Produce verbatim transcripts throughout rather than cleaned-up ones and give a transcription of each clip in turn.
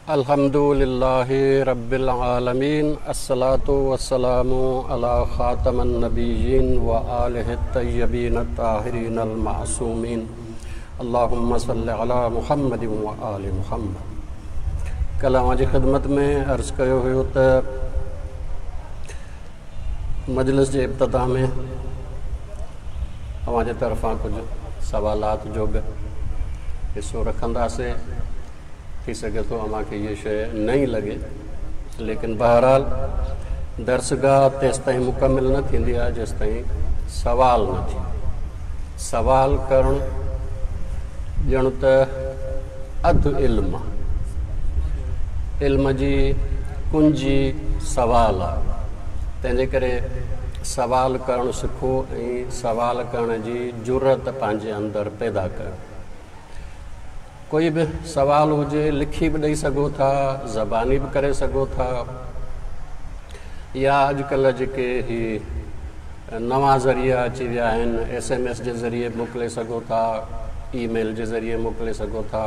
अल्हम्दुलिल्लाहि रब्बिल आलमीन, अस्सलातु वस्सलामु अला ख़ातमन नबिय्यीन व आलिहि तय्यबीन ताहिरीन अल मासूमीन। अल्लाहुम्मा सल्लि अला मुहम्मद व आलि मुहम्मद। कल्ह अव्हां जी ख़िदमत में अर्ज़ कयो हुयो त मजलिस जे इब्तिदा में अव्हां जे तरफ़ां कुझु सवालात जो बि हिसो रखंदासीं। थी सघे थो अव्हांखे इहा शइ नई लॻे, लेकिन बहरहाल दर्सगाह तेसि ताईं मुकमिल न थींदी आहे जेसि ताईं सवाल न थिए। सवाल करणु ॼण त अधु इल्मु आहे, इल्म जी कुंजी सवाल आहे। तंहिंजे करे सवाल करणु सिखो ऐं सवाल करण जी जुरत पंहिंजे अंदरि पैदा कयो। कोई बि सवाल हुजे लिखी बि ॾेई सघो था, ज़बानी बि करे सघो था, या अॼुकल्ह जेके ही नवां ज़रिया अची विया आहिनि, एस एम एस जे ज़रिए मोकिले सघो था, ईमेल जे ज़रिए मोकिले सघो था,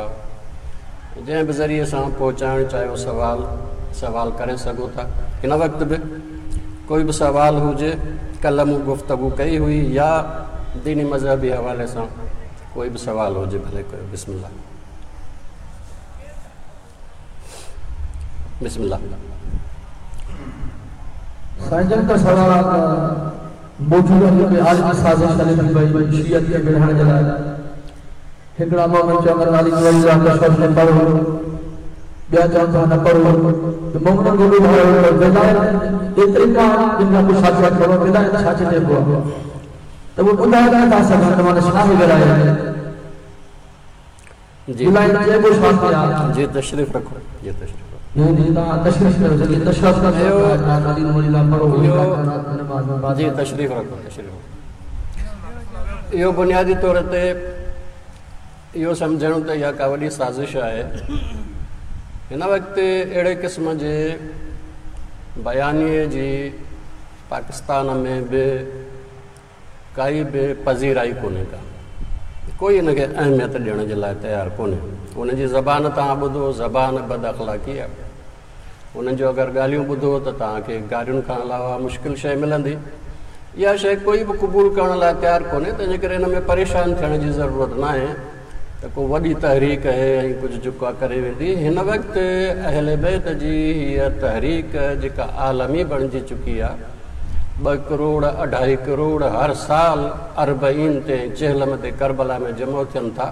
जंहिं बि ज़रिए सां पहुचाइणु चाहियो सवाल सवाल करे सघो था। हिन वक़्तु बि कोई बि सवाल हुजे, कल्ह मूं गुफ़्तगू कई हुई या दीनी मज़हबी हवाले सां कोई बि सवाल हुजे भले कयो। बिस्मिल्लाह बिस्मिल्लाह। साईं जन का सवाल मौजूदा जेके आलमी साज़िश हले थी पई शियत खे विढ़ाइण जे लाइ, हिकिड़ा मोमिन चवनि अली वली तशरफ न पढ़ो, ॿिया चवनि था न पढ़ो, त मोमिननि खे ॿुधायो त विलायत एतिरी का जिन खां पुछा छा करो, विलायत छा चइबो आहे, त उहे ॿुधाए नथा सघनि त माना छा आहे विलायत। जी विलायत चइबो छा आहे? जी तशरीफ़ रखो, जी तशरीफ़ जी तशरीफ़ रखो, तशरीफ़। इहो बुनियादी तौर ते इहो सम्झणु त इहा का वॾी साज़िश आहे। हिन वक़्तु अहिड़े क़िस्म जे बयानीए जी पाकिस्तान में बि काई बि पज़ीराई कोन्हे का, कोई हिनखे अहमियत ॾियण जे लाइ तयारु कोन्हे। उनजी ज़बान तव्हां ॿुधो, ज़बान बद अख़लाक़ी आहे। उन्हनि जो अगरि ॻाल्हियूं ॿुधो त तव्हांखे गारियुनि खां अलावा मुश्किल शइ मिलंदी। इहा शइ कोई बि क़बूल करण लाइ तयारु कोन्हे, तंहिंजे करे हिन में परेशान थियण जी ज़रूरत न आहे त को वॾी तहरीक आहे ऐं कुझु जेको आहे करे वेंदी। हिन वक़्तु अहल बैत जी हीअ तहरीक जेका आलमी बणिजी चुकी आहे, ॿ करोड़ अढाई करोड़ हर साल अरबईन ते चेहलम ते करबला में जमो थियनि था।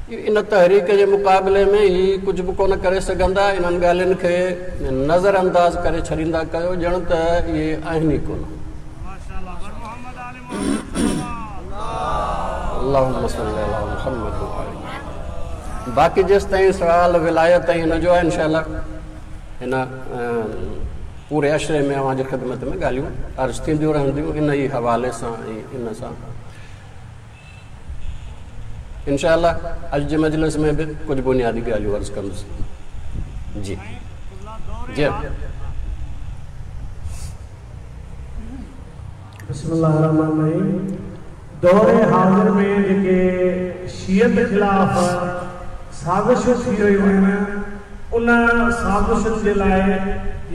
इन तहरीक जे मुक़ाबले में ही कुझु बि कोन करे सघंदा। इन्हनि ॻाल्हियुनि खे नज़रअंदाज़ करे छॾींदा कयो, ॼण त इहे आहिनि ई कोन। अल्लाहुम्मा सल्ली अला मुहम्मद व आलि मुहम्मद। बाक़ी जेसि ताईं सवाल विलायत ऐं हिन जो आहे, इनशा हिन पूरे अशरे में अव्हांजी ख़िदमत में ॻाल्हियूं अर्ज़ थींदियूं रहंदियूं इन ई हवाले सां ऐं इन सां इनशा अॼु जे मजलिस में बि कुझु बुनियादी ॻाल्हियूं अर्ज़ कंदुसि। जी जी बिस्मिल्लाहिर्रहमानिर्रहीम। दौरे हाज़िर में जेके शियत ख़िलाफ़ साज़िशूं थी रहियूं आहिनि, उन साज़िशुनि जे लाइ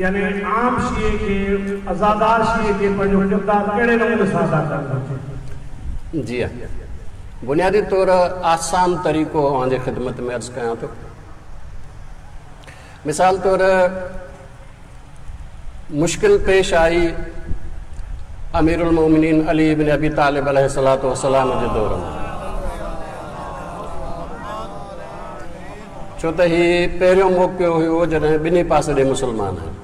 यानी आम शिए खे, आज़ादार शिए खे पंहिंजो किरदारु कहिड़े नमूने सां अदा करणु घुरिजे? जी हा, बुनियादी तौर आसान तरीक़ो अव्हांजे ख़िदमत में अर्ज़ कयां थो। मिसाल तौर मुश्किल पेश आई अमीरुल मोमिनीन अली इब्न अबी तालिब अलैहिस्सलातु वस्सलाम जे दौर में, छो त ही पहिरियों मौक़ो हुयो जॾहिं ॿिन्ही पासे ॾे मुसलमान आहिनि।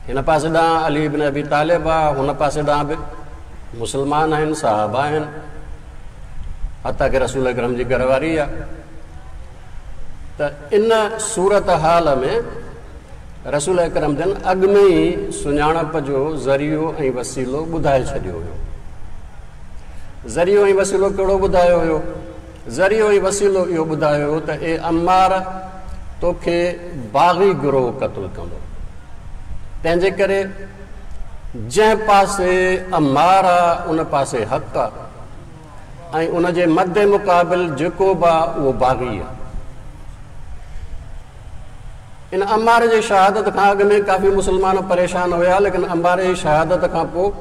हिन पासे ॾांहुं अली इब्न अबी तालिब आहे, हुन पासे ॾांहुं बि मुसलमान आहिनि, साहब आहिनि, हता कि रसूल अकरम जी घरवारी आहे। त इन सूरत हाल में रसूल अकरम जन अॻु में ई सुञाणप जो ज़रियो ऐं वसीलो ॿुधाए छॾियो हुयो। ज़रियो ऐं वसीलो कहिड़ो ॿुधायो हुयो? ज़रियो ऐं वसीलो इहो ॿुधायो हुयो त ए अम्मार, तोखे बाग़ी गिरोह क़तलु कंदो, तंहिंजे करे जंहिं पासे अम्मार आहे उन पासे हक़ आहे ऐं उन जे मद मुक़ाबिल जेको बि आहे उहो बाग़ी आहे। इन अम्मार जी शहादत खां अॻु में काफ़ी मुस्लमान परेशान हुया, लेकिन अम्मार जी शहादत खां पोइ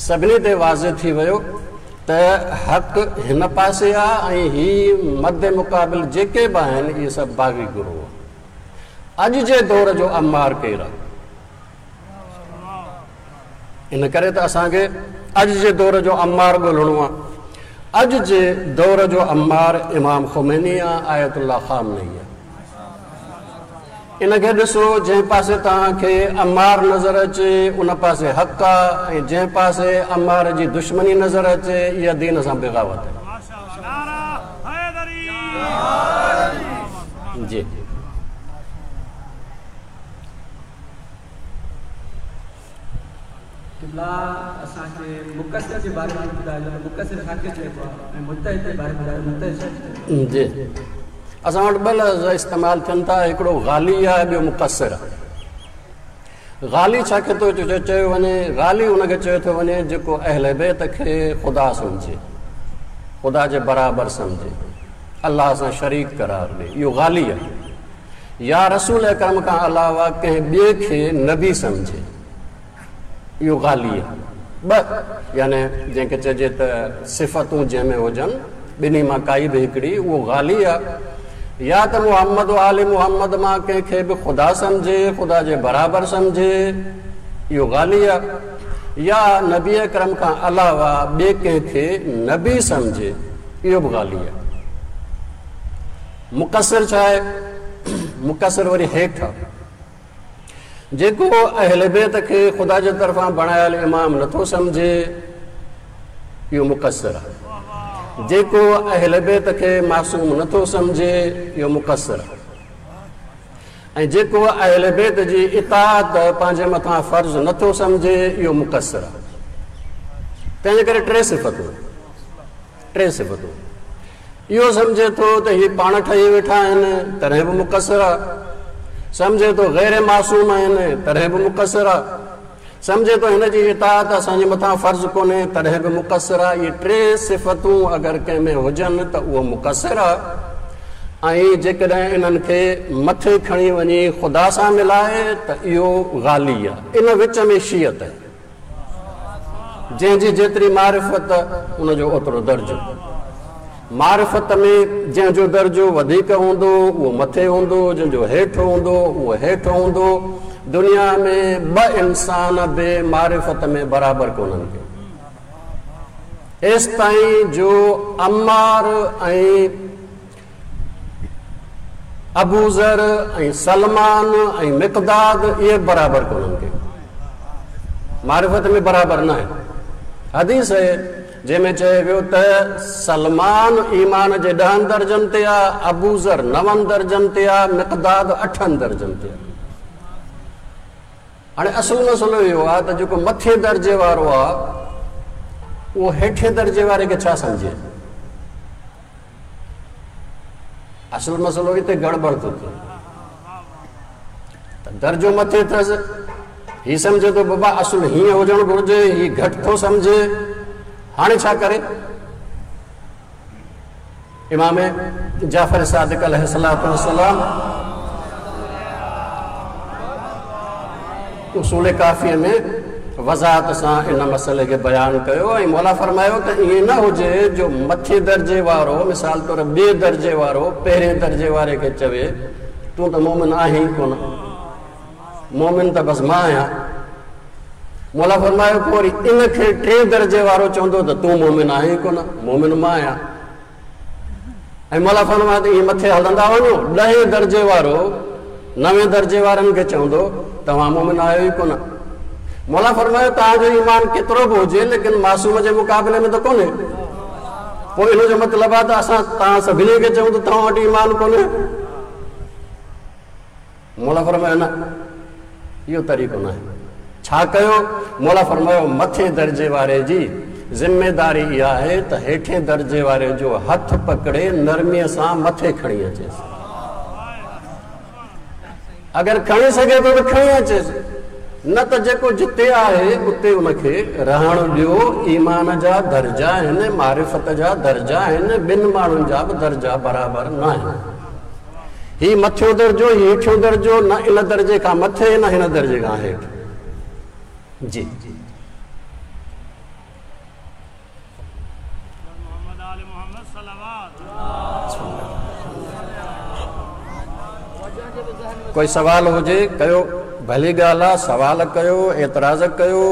सभिनी ते वाज़े थी वियो त हक़ हिन पासे आहे ऐं ही मद मुक़ाबिल जेके बि आहिनि इहे सभु बाग़ी गुरूह। अॼु जे दौर जो अम्मार केरु आहे? इन करे त असांखे अॼु जे दौर जो अम्मार ॻोल्हिणो आहे। अॼु जे दौर जो अम्मार इमाम खुमैनी आहे, आयतुल्लाह ख़ामनेई आहे। इनखे ॾिसो, जंहिं पासे तव्हांखे अम्मार नज़र अचे उन पासे हक़ आहे, ऐं जंहिं पासे अम्मार जी दुश्मनी नज़र अचे इहा दीन सां बग़ावत आहे। जी क़िबला, असांखे मुक़स्सिर जे बारे में ॿुधाइजो, मुक़स्सिर छा खे चइबो आहे ऐं मुज्तहिद जे बारे में ॿुधायो, मुज्तहिद छा खे? जी, असां वटि ॿ लफ़्ज़ इस्तेमालु थियनि था, हिकिड़ो गाली आहे, ॿियो मुक़स्सिर आहे। गाली छा खे थो चयो वञे? गाली उनखे चयो थो वञे जेको अहले बैत खे ख़ुदा सम्झे, ख़ुदा जे बराबरि सम्झे, अल्लाह सां शरीक करार ॾे, इहो गाली आहे। या रसूल अकरम खां अलावा कंहिं ॿिए खे नबी सम्झे, इहो गाली आहे। ॿ यानी जंहिंखे चइजे त सिफ़तूं जंहिंमें हुजनि, ॿिन्ही मां काई बि हिकिड़ी, उहो गाली आहे। या त मोहम्मद आले मोहम्मद मां कंहिंखे बि ख़ुदा सम्झे, ख़ुदा जे बराबरि सम्झे, इहो गाली आहे। या नबी अकरम खां अलावा ॿिए कंहिंखे नबी सम्झे, इहो बि गाली आहे। मुक़स्सिर छा आहे? मुक़स्सिर वरी हेठि आहे, जेको अहले बैत खे ख़ुदा जे तरफ़ां बणायल इमाम नथो सम्झे, इहो मुक़स्सिर आहे। जेको अहले बैत खे मासूम नथो सम्झे, इहो मुक़स्सिर आहे। ऐं जेको अहले बैत जी इताअत पंहिंजे मथां फ़र्ज़ नथो सम्झे, इहो मुक़स्सिर आहे। तंहिंजे करे टे सिफ़तूं, टे सिफ़तूं। इहो सम्झे थो त हीअ पाण ठही वेठा आहिनि, तॾहिं बि मुक़स्सिर आहे। सम्झे थो ग़ैर मासूम आहिनि, तॾहिं बि मुक़स्सिर आहे। सम्झे थो हिन जी इताअत असांजे मथां फ़र्ज़ु कोन्हे, तॾहिं बि मुक़स्सिर आहे। इहे टे सिफ़तूं अगरि कंहिंमें हुजनि त उहो मुक़स्सिर आहे। ऐं जेकॾहिं इन्हनि खे मथे खणी वञी ख़ुदा सां मिलाए त इहो गाली आहे। इन विच में शीअत आहे, जंहिंजी जेतिरी मारिफ़त उनजो ओतिरो दर्जो। मारिफ़त में जंहिंजो दर्जो वधीक हूंदो उहो मथे हूंदो, जंहिंजो हेठि हूंदो उहो हेठि हूंदो। दुनिया में ॿ इंसान बि मारिफ़त में बराबरि कोन्हनि के। एसि ताईं जो अम्मार ऐं अबूज़र ऐं सलमान ऐं मिक़दाद इहे बराबरि कोन्हनि के, मारिफ़त में बराबरि न आहिनि। हदीस आहे जंहिंमें चयो वियो त सलमान ईमान जे ॾहनि दर्जनि ते आहे, अबूज़र नवनि दर्जनि ते आहे, मिक़दाद अठनि दर्जनि ते आहे। हाणे असुलु मसइलो इहो आहे त जेको मथे दर्जे वारो आहे उहो हेठे दर्जे वारे खे छा सम्झे? असुलु मसइलो हिते गड़बड़ थो थिए। त दर्जो मथे अथसि, हीअ सम्झे थो बाबा असुलु हीअं हुजणु घुरिजे, हीअ घटि थो सम्झे, हाणे छा करे? इमाम जाफ़र सादिक अलैहिस्सलातु वस्सलाम उसूल काफ़ीअ में वज़ाहत सां इन मसइले खे बयानु कयो ऐं मौला फरमायो त ईअं न हुजे जो मथे दर्जे वारो, मिसाल तौरु ॿिए दर्जे वारो पहिरें दर्जे वारे खे चवे तूं त मोमिन आहीं कोन, मोमिन त बसि मां आहियां। मौला फरमायो पोइ वरी इन खे टे दर्जे वारो चवंदो त तूं मोमिन आहीं कोन, मोमिन मां आहियां। ऐं मौला फरमायो त ईअं मथे हलंदा वञो, ॾहें दर्जे वारो नवे दर्जे वारनि खे चवंदो तव्हां मोमिन आहियो ई कोन। मौला फरमायो तव्हांजो ईमान केतिरो बि हुजे लेकिन मासूम जे मुक़ाबले में त कोन्हे। पोइ इन जो मतिलबु आहे त असां तव्हां सभिनी खे चऊं त तव्हां वटि ईमान कोन्हे। मौला फरमायो न, इहो तरीक़ो न आहे। छा कयो? मौला फरमायो मथे दर्जे वारे जी ज़िम्मेदारी इहा आहे त हेठे दर्जे वारे जो हथु पकड़े नरमीअ सां मथे खणी अचेसि। अगरि खणी सघे थो त खणी अचेसि, न त जेको जिते आहे उते उनखे रहणु ॾियो। ईमान जा दर्जा आहिनि, मारिफ़त जा दर्जा आहिनि, ॿिनि माण्हुनि जा बि दर्जा बराबरि न आहिनि। ही मथियों दर्जो, ही हेठियों दर्जो, न इन दर्जे खां मथे न हिन दर्जे खां हेठि। जी कोई सवाल हुजे कयो, भली ॻाल्हि आहे, सवाल कयो, एतिराज़ कयो।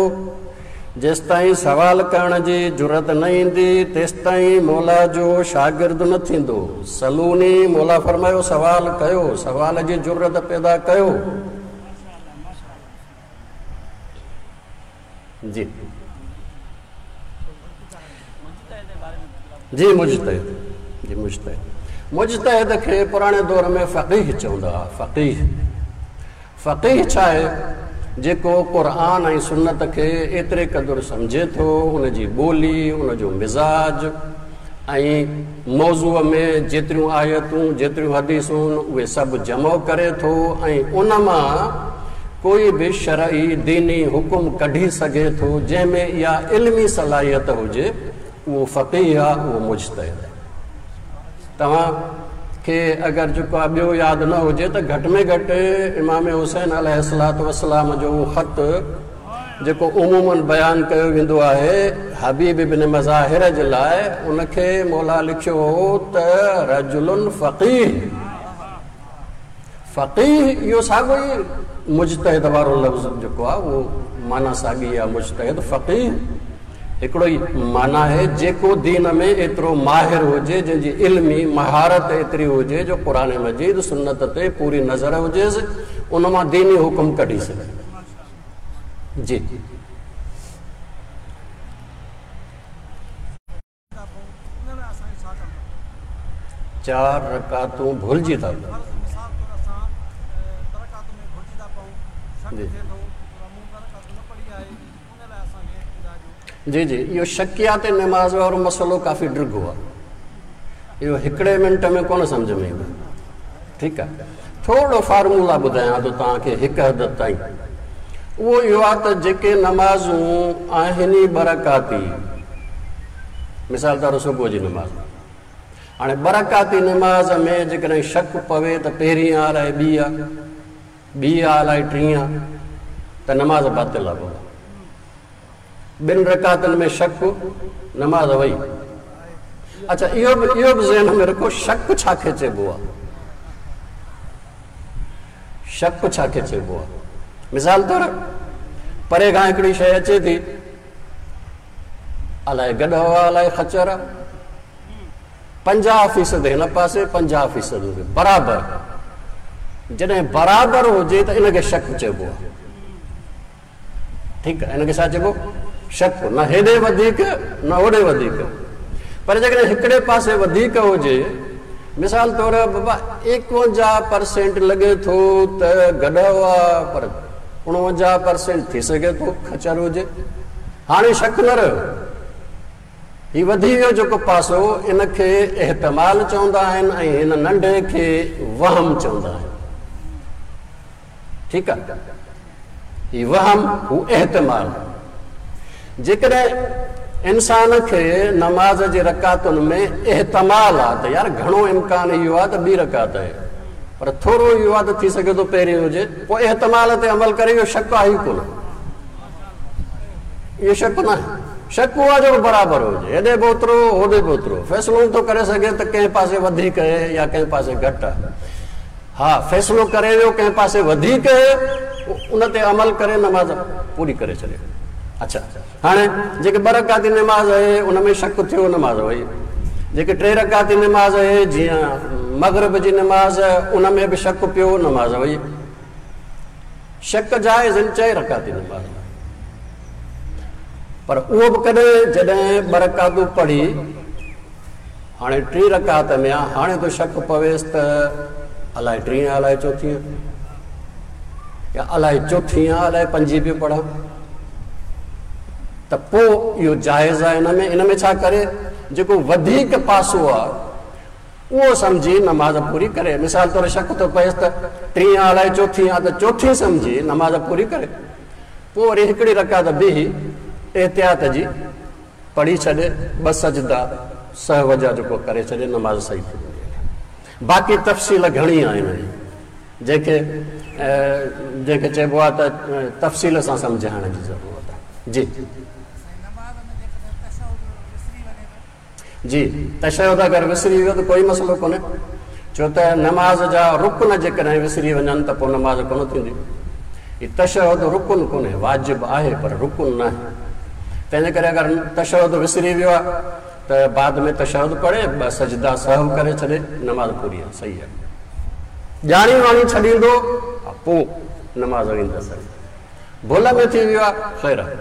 जेसि ताईं सवाल करण जी जुरत न ईंदी तेसि ताईं मौला जो शागिर्द न थींदो। सलूनी मौला फरमायो सवाल कयो, सवाल जी जुरत पैदा कयो। जी जी मुज्तहिद, जी मुज्तहिद, मुज्तहिद खे पुराणे दौर में फ़क़ीह चवंदा हुआ। फ़क़ीह, फ़क़ीह छा आहे? जेको क़ुरान ऐं सुन्नत खे एतिरे क़दुरु सम्झे थो, उनजी ॿोली, उनजो मिज़ाज ऐं मौज़ूअ में जेतिरियूं आयतूं जेतिरियूं हदीसूं उहे सभु जमो करे थो ऐं उन मां कोई बि शरई दीनी हुकुम कढी सघे थो जंहिंमें इहा इल्मी सलाहियत हुजे, उहो फ़क़ीह आहे, उहो मुज्तहिद आहे। तव्हांखे अगरि जेको आहे ॿियो यादि न हुजे त घटि में घटि इमाम हुसैन अलैहिस्सलातु वस्सलाम जो उहो ख़त जेको उमूमन बयानु कयो वेंदो आहे हबीब इब्न मज़ाहिर जे लाइ, उनखे मौला लिखियो हो त रजुलुन फ़क़ीह। फ़क़ीह इहो साॻियो ई मुज्तहिद वारो लफ़्ज़ जेको आहे उहो माना साॻी आहे। मुज्तहिद फ़क़ीह हिकिड़ो ई माना आहे, जेको दीन में एतिरो माहिर हुजे, जंहिंजी इल्मी महारत एतिरी हुजे जो क़ुरान मजीद सुन्नत ते पूरी नज़र हुजेसि, उन मां दीनी हुकुम कढी सघे। जी चार रकातूं भुलिजी था जी जी जी इहो शकियात नमाज़ वारो मसइलो काफ़ी डिघो आहे, इहो हिकिड़े मिंट में कोन सम्झ में ईंदो। ठीकु आहे, थोरो फार्मूला ॿुधायां थो तव्हांखे हिकु हद ताईं। उहो इहो आहे त जेके नमाज़ूं आहिनि ई ॿ रकाती, मिसाल तौरु सुबुह जी नमाज़, हाणे ॿ रकाती नमाज़ में जेकॾहिं शक पवे त पहिरीं आहे अलाए ॿी आहे, ॿी आहे अलाए टीं आहे, त नमाज़ बातिल आहे। बाबा ॿिनि रकातनि में शक, नमाज़ वई। अच्छा, इहो बि इहो बि ज़हन में रखो, शक छाखे चइबो आहे? शक छाखे चइबो आहे? मिसाल तौरु परे खां हिकिड़ी शइ अचे थी, अलाए गॾो आहे अलाए खचर आहे, पंजाह फ़ीसद हिन पासे पंजाह फ़ीसद बराबरि, जॾहिं बराबरि हुजे त इनखे शक चइबो आहे। ठीकु आहे, इनखे छा चइबो? शक। न हेॾे वधीक न होॾे वधीक, पर जेकॾहिं हिकिड़े पासे वधीक हुजे, मिसाल तौरु बाबा एकवंजाह परसेंट लॻे थो त गॾो आहे, पर उणवंजाह परसेंट थी सघे थो खचर हुजे, हाणे शक न रहियो, हीउ वधी वियो जेको पासो, इनखे एहतमाल चवंदा आहिनि ऐं हिन नंढे खे वहम चवंदा आहिनि। ठीकु आहे, हीउ वहम हू एहतमाल। जेकॾहिं इंसान खे नमाज़ जे रकातुनि में एहतमाल आहे त यार घणो इम्कान इहो आहे त ॿी रकात आहे, पर थोरो इहो आहे त थी सघे थो पहिरीं हुजे, पोइ एहतमाल ते अमल करे, इहो शक आहे ई कोन, इहो शक न आहे। शक उहो आहे जेको बराबरि हुजे, हेॾे बि ओतिरो होॾे बि ओतिरो, फ़ैसिलो नथो करे सघे त कंहिं पासे वधीक आहे या कंहिं पासे घटि आहे। हा, फ़ैसिलो करे वियो कंहिं पासे वधीक आहे, उन ते अमल करे नमाज़ पूरी करे छॾे। अच्छा, हाणे जेके ॿ रकाती नमाज़ आहे उन में शक थियो, नमाज़ वई। जेके टे रकाती नमाज़ आहे जीअं मग़रिब जी नमाज़, उन में बि शक पियो, नमाज़ वई। शक जाइज़ आहिनि चए रकाती नमाज़, पर उहो बि कॾहिं जॾहिं ॿ रकातूं पढ़ी हाणे टी रकात में आहे, हाणे थो शक पवेसि त अलाए टीं आहे अलाए चोथी आहे, या अलाए चोथी आहे अलाए पंजी पियो पढ़ां, त पोइ इहो जाइज़ आहे। हिन में इन में छा करे, जेको वधीक पासो आहे उहो सम्झी नमाज़ पूरी करे। मिसाल तौरु शक थो पवेसि त टीं आहे अलाए चोथी आहे, त चोथी सम्झी नमाज़ पूरी करे, पोइ वरी हिकिड़ी रकात बीही एहतियात जी पढ़ी छॾे, ॿ सजदा सहव जा जेको करे छॾे, नमाज़ सही थी वञे। बाक़ी तफ़सील घणी आहिनि जंहिंखे जंहिंखे चइबो आहे त तफ़सील सां सम्झाइण जी ज़रूरत आहे। जी जी तशहुद अगरि विसरी वियो त कोई मसइलो कोन्हे, छो त नमाज़ जा रुकन जेकॾहिं विसरी वञनि त पोइ नमाज़ कोन थींदी। हीउ तशहुद रुकन कोन्हे, वाजिब आहे पर रुकन न आहे। तंहिंजे करे अगरि तशहुद विसरी वियो आहे त बाद में तशहुद पढ़े, ॿ सजदा सहव करे छॾे, नमाज़ पूरी आहे, सही आहे। ॼाणी वाणी छॾींदो पोइ नमाज़ वेंदसि, भुल में थी वियो आहे ख़ैर आहे।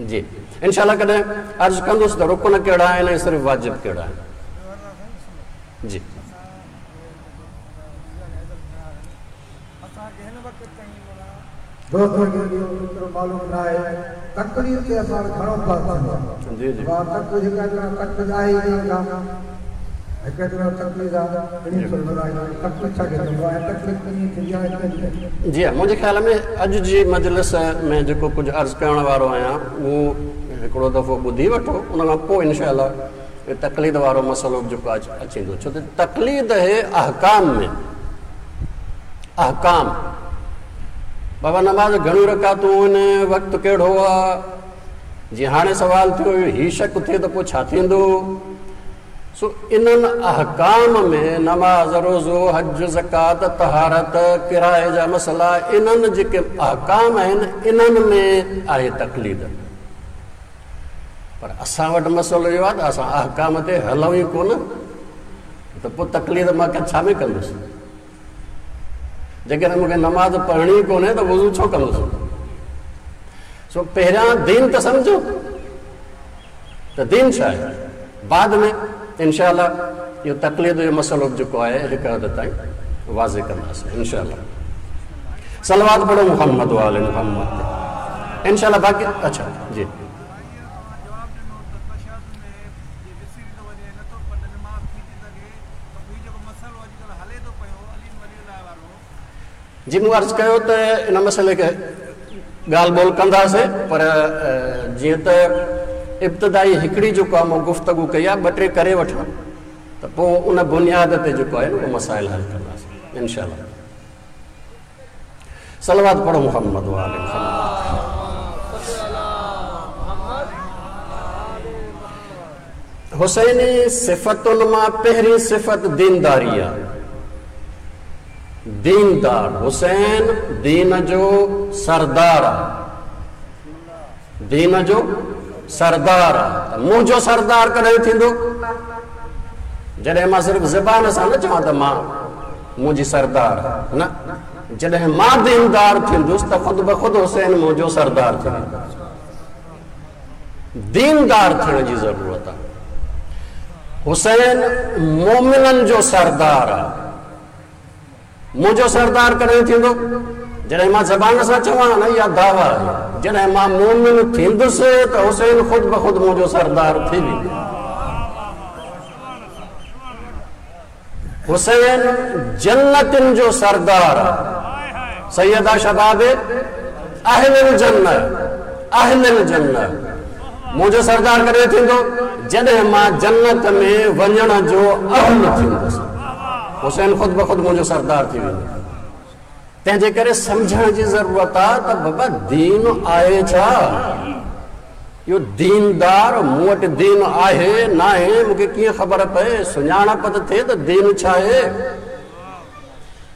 जी इनशाला कॾहिं अर्ज़ु कंदुसि त रुकन कहिड़ा आहिनि ऐं सिर्फ़ु वाजिब कहिड़ा आहिनि। जी दोस्तों खे इहो एतिरो मालूम न आहे तकलीफ़ ते असां घणो बहिस जी जी तकलीफ़ तकलीफ़ आहे ई कोन का हिकु एतिरो तकलीफ़ आहे तकलीफ़ छा खे चइबो आहे, तकलीफ़ कीअं थींदी आहे? जी हा, मुंहिंजे ख़्याल में अॼु जी मजलिस में जेको कुझु अर्ज़ु करण वारो आहियां उहो हिकिड़ो दफ़ो ॿुधी वठो, उन खां पोइ इनशा तक़लीद वारो मसइलो जेको अची ईंदो। छो त तक़लीद है अहकाम में, अहकाम बाबा नमाज़ घणियूं रकातूं आहिनि, वक़्तु कहिड़ो आहे, जीअं हाणे सवाल थियो हीउ शक थिए त पोइ छा थींदो? सो इन्हनि अहकाम में नमाज़, रोज़ो, हज, ज़कात, तहारत, किराए जा मसइला, इन्हनि जेके अहकाम आहिनि इन्हनि में आहे तक़लीद। पर असां वटि मसइलो इहो आहे त असां अहकाम ते हलूं ई कोन, त पोइ तक़लीद मां छा में कंदुसि? जेकॾहिं मूंखे नमाज़ पढ़णी कोन्हे त वुज़ू छो कंदुसि? सो पहिरियां दीन त सम्झो त दीन छा आहे, बाद में इनशा इहो तक़लीद जो मसइलो जेको आहे हिकु हद ताईं वाज़े कंदासीं इनशा। सलवात पढ़ो मुहम्मद वाले मुहम्मद ते इनशा। बाक़ी अच्छा जी जी, मूं अर्ज़ु कयो त इन मसइले खे ॻाल्हि ॿोल कंदासीं, पर जीअं त इब्तिदाई हिकिड़ी जेको आहे मूं गुफ़्तगू कई आहे, ॿ टे करे वठां त पोइ उन बुनियाद ते जेको आहे न उहो मसाइल हल कंदासीं इनशा। सलवात पढ़ो मुहम्मद वाले मुहम्मद। हुसैनी सिफ़तुनि मां पहिरीं सिफ़त दीनदारी आहे। दीनदार हुसैन दीन जो सरदार आहे, दीन जो सरदार आहे। त मुंहिंजो सरदार कॾहिं थींदो? जॾहिं मां सिर्फ़ु ज़बान सां न चवां त मां मुंहिंजी सरदार न, जॾहिं मां दीनदार थींदुसि त ख़ुदि ब ख़ुदि हुसैन मुंहिंजो सरदार थींदो। दीनदार थियण जी ज़रूरत आहे। हुसैन मोमिननि जो सरदार आहे। मुंहिंजो सरदार कॾहिं थींदो? जॾहिं मां ज़बान सां चवां न, इहा दावा आहे। जॾहिं मां मोमिन थींदुसि त हुसैन ख़ुदि ब ख़ुदि मुंहिंजो सरदार थी वेंदो। हुसैन जन्नतिन जो सरदार आहे। सैयदा शबाब अहलिल जन्नत, अहलिल जन्नत। मुंहिंजो सरदार कॾहिं थींदो? जॾहिं मां जन्नत में वञण जो अहल थींदुसि, हुसैन ख़ुदि ब ख़ुदि मुंहिंजो सरदार थी वेंदो। तंहिंजे करे सम्झण जी ज़रूरत आहे त बाबा दीन आहे छा? इहो दीनदार मूं वटि दीन आहे न आहे, मूंखे कीअं ख़बर पए? सुञाणप त थिए त दीन छा आहे?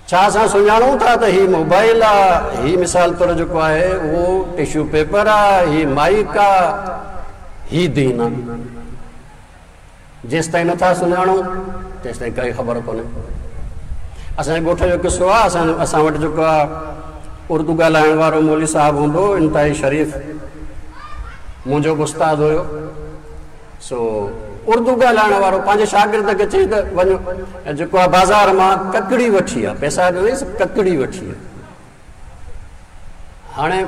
छा असां सुञाणूं था त हीउ मोबाइल आहे, हीउ मिसाल तौरु जेको आहे उहो टिश्यू पेपर आहे, हीउ माइक आहे, हीउ दीन आहे। जेसि ताईं नथा सुञाणूं तेसि ताईं काई ख़बर कोन्हे। असांजे ॻोठ जो किसो आहे, असां असां वटि जेको आहे उर्दू ॻाल्हाइण वारो मौलवी साहिबु हूंदो, इंतिहाई शरीफ़, मुंहिंजो बि उस्ताद हुयो। सो उर्दू ॻाल्हाइण वारो पंहिंजे शागिर्द खे चई त वञो जेको आहे बाज़ार मां ककड़ी वठी आहे, पैसा ॾिनईंसि, ककड़ी वठी आहे। हाणे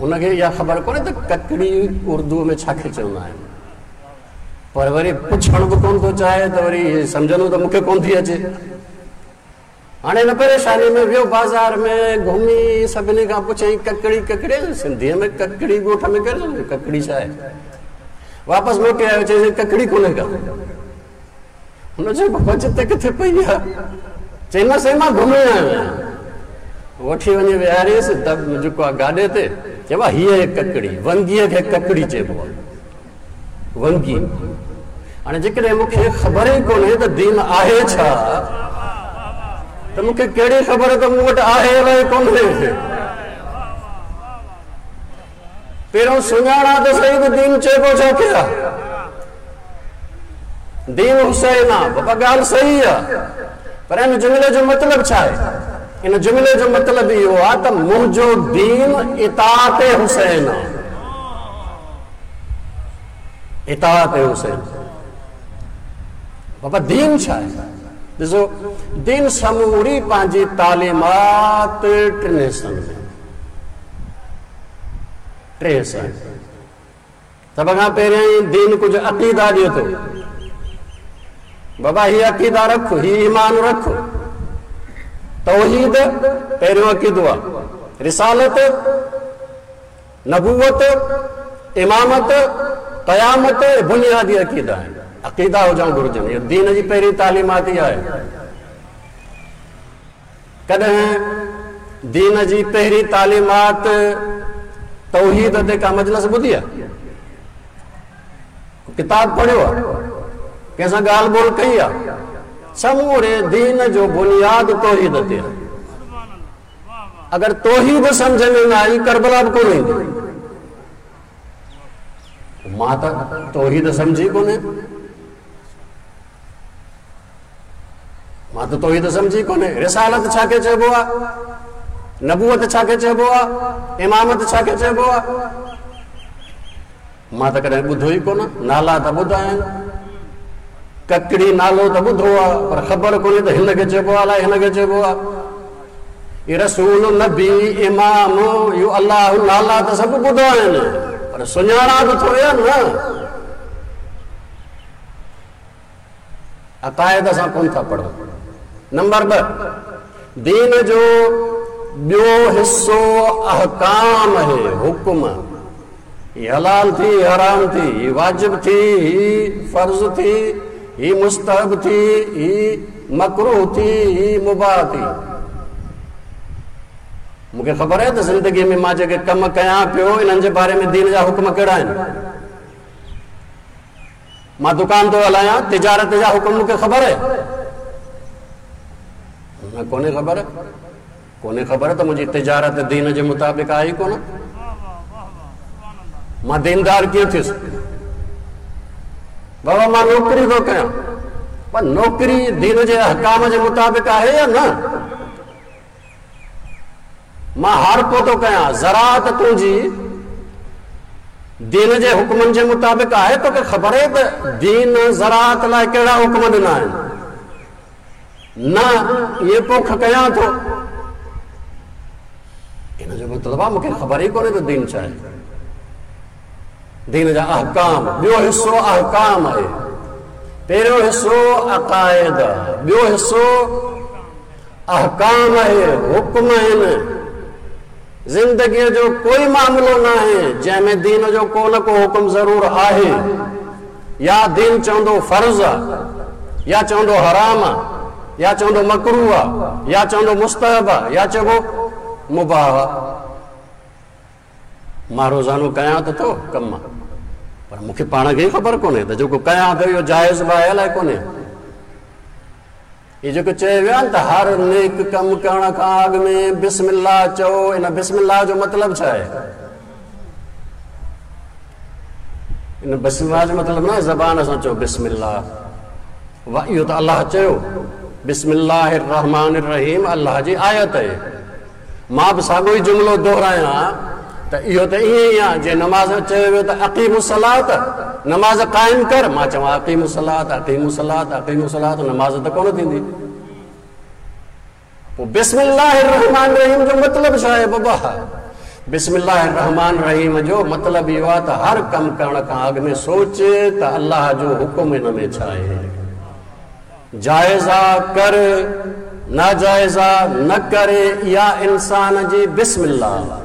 हुनखे इहा ख़बर कोन्हे त ककड़ी उर्दूअ में छा खे चवंदा आहिनि, पर वरी पुछणु बि कोन थो चाहे त वरी सम्झंदो त मूंखे कोन थी अचे। हाणे हिन परेशानी में वियो बाज़ार में घुमी सभिनी खां पुछयईं ककड़ी ककड़ी, सिंधीअ में ककड़ी ॻोठ में केरु ककड़ी छा आहे? वापसि मोटे आयो, चयईं ककड़ी कोन्हे का। हुन चयो बाबा जिते किथे पई आहे? चई न साईं मां घुमे आयो आहियां। वठी वञी विहारियसि दब जेको आहे गाॾे ते। चयो आहे हीअ आहे ककड़ी, वंगीअ खे ककड़ी चइबो आहे, वंगी। हाणे जेकॾहिं मूंखे ख़बर ई कोन्हे त दीन आहे छा, त मूंखे कहिड़ी ख़बर त मूं वटि आहे अलाए कोन्हे। पहिरियों सुञाणा त सही त दीन चइबो छा खे आहे। दीन हुसैन आहे बाबा, ॻाल्हि सही आहे, पर इन जुमिले जो मतिलबु छा आहे? इन जुमिले जो मतिलबु इहो आहे त मुंहिंजो दीन इताअत हुसैन आहे, इताअत हुसैन। बाबा दीन छा आहे? ॾिसो दीन समूरी पंहिंजी तालीमात टिनि हिसनि में, टे हिसा। सभ खां पहिरियां दीन कुझु अक़ीदा ॾिए थो, बाबा हीअ अक़ीदा रख, हीअ ईमान रख। तौहीद पहिरियों अक़ीदो आहे, रिसालत, नबूवत, इमामत, क़यामत बुनियादी अक़ीदा आहिनि। अक़ीदा हुजणु घुर्जनि, इहो दीन जी पहिरीं तालीमात ई आहे। कॾहिं दीन जी पहिरीं तालीमात तौहीद ते का मजलिस ॿुधी आहे? किताब पढ़ियो आहे? कंहिंसां ॻाल्हि ॿोल कई आहे? समूरे दीन जो बुनियाद तौहीद ते आहे। अगरि तौहीद सम्झ में न आई, करबला बि कोन ईंदी। मां त तौहीद सम्झी कोन्हे, मां त तौहीद सम्झी कोन्हे। रिसालत छा खे चइबो आहे? नबूवत छा खे चइबो आहे? इमामत छा खे चइबो आहे? मां त कॾहिं ॿुधो ई कोन। नाला त ॿुधा आहिनि, ककड़ी नालो त ॿुधो आहे, पर ख़बर कोन्हे त हिन खे चइबो आहे अलाए हिन खे चइबो आहे। इहे रसूल, नबी, इमाम, इहो अलाह नाला त सभु ॿुधा आहिनि, पर सुञाणा बि थोरी आहे न। अक़ाइद असां कोन था पढ़ूं। नंबर ॿ, दीन जो ॿियो हिसो अहकाम आहे, हुकुम। ही हलाल थी, हराम थी, ही वाजिब थी, ही फ़र्ज़ थी, ही मुस्तहब थी, ही मकरूह थी, ही मुबाह थी। मूंखे ख़बर आहे त ज़िंदगीअ में मां जेके कम कयां पियो, इन्हनि जे बारे में दीन जा हुकुम कहिड़ा आहिनि। मां दुकान थो हलायां, तिजारत जा हुकुम मूंखे ख़बर आहे? न, कोन्हे ख़बर, कोन्हे ख़बर त मुंहिंजी तिजारत दीन जे मुताबिक़ आहे ई कोन। मां दीनदार कीअं थियुसि? बाबा मां नौकिरी थो कयां, पर नौकिरी दीन जे अहकाम जे मुताबिक़ आहे या न? मां हारपो थो कयां, ज़राअत तुंहिंजी दीन जे हुकुमनि जे मुताबिक़ आहे? तोखे ख़बर आहे त दीन ज़राअत लाइ कहिड़ा हुकुम ॾिना आहिनि? न, इहे पोख कयां थो। इन जो मतिलबु आहे मूंखे ख़बर ई कोन्हे त दीन छा आहे। दीन जा अहकाम, ॿियो हिसो अहकाम आहे। पहिरियों हिसो अक़ाइद, ॿियो हिसो अहकाम आहे, हुकुम आहिनि। ज़िंदगीअ जो कोई मामिलो न आहे जंहिंमें दीन जो को न को हुकुम ज़रूरु आहे। या दीन चवंदो फ़र्ज़ आहे, या चवंदो हराम आहे, या चवंदो मकरूह आहे, या चवंदो मुस्तहब आहे, या चइबो मुबाह आहे। मां रोज़ानो कयां त थो कम, पर मूंखे पाण खे ई ख़बर कोन्हे त जेको कयां थो इहो जाइज़ बि आहे अलाए कोन्हे। इहो जेको चयो वियो आहे न त हर नेक कमु करण खां अॻु में बिस्मिल्लाह चओ, इन बिस्मिल्लाह जो मतिलबु छा आहे? इन बिस्मिल्लाह जो मतिलबु न आहे ज़बान सां चओ बिस्मिल्लाह, वाह, इहो त अलाह चयो बिस्मिल्लाह रहमान रहीम, अलाह जी आयत आहे। मां बि साॻियो ई जुमिलो दोहरायां त इहो त ईअं ई आहे जीअं नमाज़ चयो वियो त अक़ीमुस्सलात, नमाज़ क़ाइम कर, मां चवां अक़ीमुस्सलात अक़ीमुस्सलात अक़ीमुस्सलात, नमाज़ त कोन थींदी। पोइ बिस्मिल्लाह रहमान रहीम जो मतिलबु छा आहे बाबा? बिस्मिल्लाह रहमान रहीम जो मतिलबु इहो आहे त हर कमु करण खां अॻु में सोच त अलाह जो हुकुम हिन में छा आहे। जाइज़ा कर, नाजाइज़ा न करे, इहा इंसान जी बिस्मिल्लाह।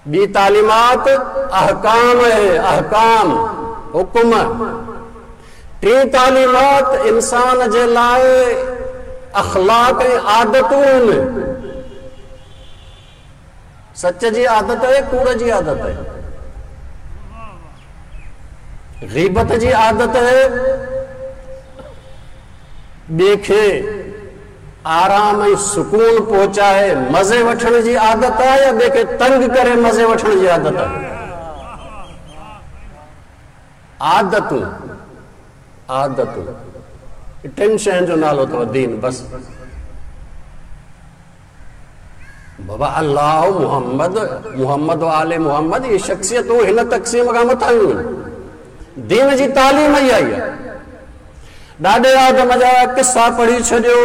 ॿी तालीमात अहकाम आहे, अहकाम हुकुम। टे तालीमात इंसान जे लाइ अख़लाक ऐं आदतूं आहिनि। सच जी आदत आहे, कूड़ जी आदत आहे, ग़ीबत जी आदत आहे, ॿिए खे आराम ऐं सुकून पहुचाए मज़े वठण जी आदत आहे या ॿिए खे तंग करे मज़े वठण जी आदत आहे? आदतूं, आदतूं टिनि शयुनि जो नालो अथव दीन। बसि बाबा अल्लाह, मोहम्मद, मोहम्मद आले मोहम्मद, इहे शख़्सियतूं हिन तक़सीम खां मथां आहिनि। दीन जी तालीम ई आई आहे। ॾाॾे आदम जा किस्सा पढ़ी छॾियो,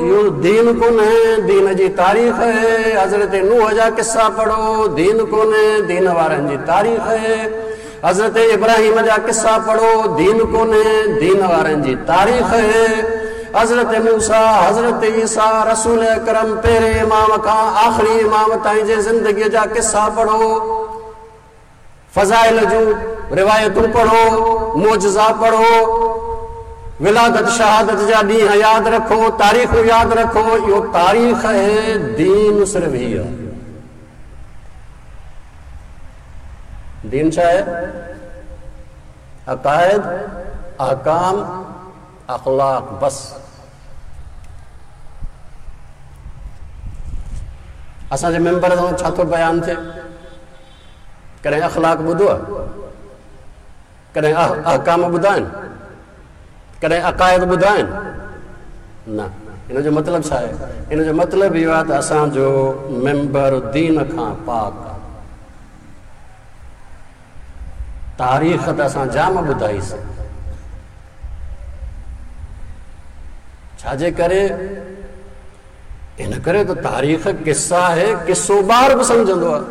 इहो दीन कोन्हे, दीन जी तारीख़ आहे। हज़रत नूह जा किस्सा पढ़ो, दीन कोन्हे, दीन वारनि जी तारीख़ आहे। हज़रत इब्राहिम जा किस्सा पढ़ो, दीन कोन्हे, दीन वारनि जी तारीख़ आहे। हज़रत मूसा, हज़रत ईसा, रसूल अकरम पहिरें इमाम खां आख़िरी इमाम ताईं जे ज़िंदगीअ जा किस्सा पढ़ो, फ़ज़ाइल जूं रिवायतूं पढ़ो, मोजज़ा पढ़ो, विलादत शहादत जा ॾींहं यादि रखो, तारीख़ूं यादि रखो। इहो तारीख़ आहे, दीन सिर्फ़ हीअ आहे। दीन छा आहे? अक़ाइद, अहकाम, अख़लाक, बसि। असांजे मेंबर सां छा थो बयानु थिए? कॾहिं अख़लाक ॿुधो आहे? कॾहिं अहकाम ॿुधा आहिनि? कॾहिं अक़ाइद ॿुधा आहिनि? न। हिन जो मतिलबु छा आहे? हिन जो मतिलबु इहो आहे त असांजो मेंबर दीन खां पाक आहे। तारीख़ त असां जाम ॿुधाईसीं, छाजे करे? इन करे त तारीख़ किस्सा आहे, किस्सो ॿार बि सम्झंदो आहे।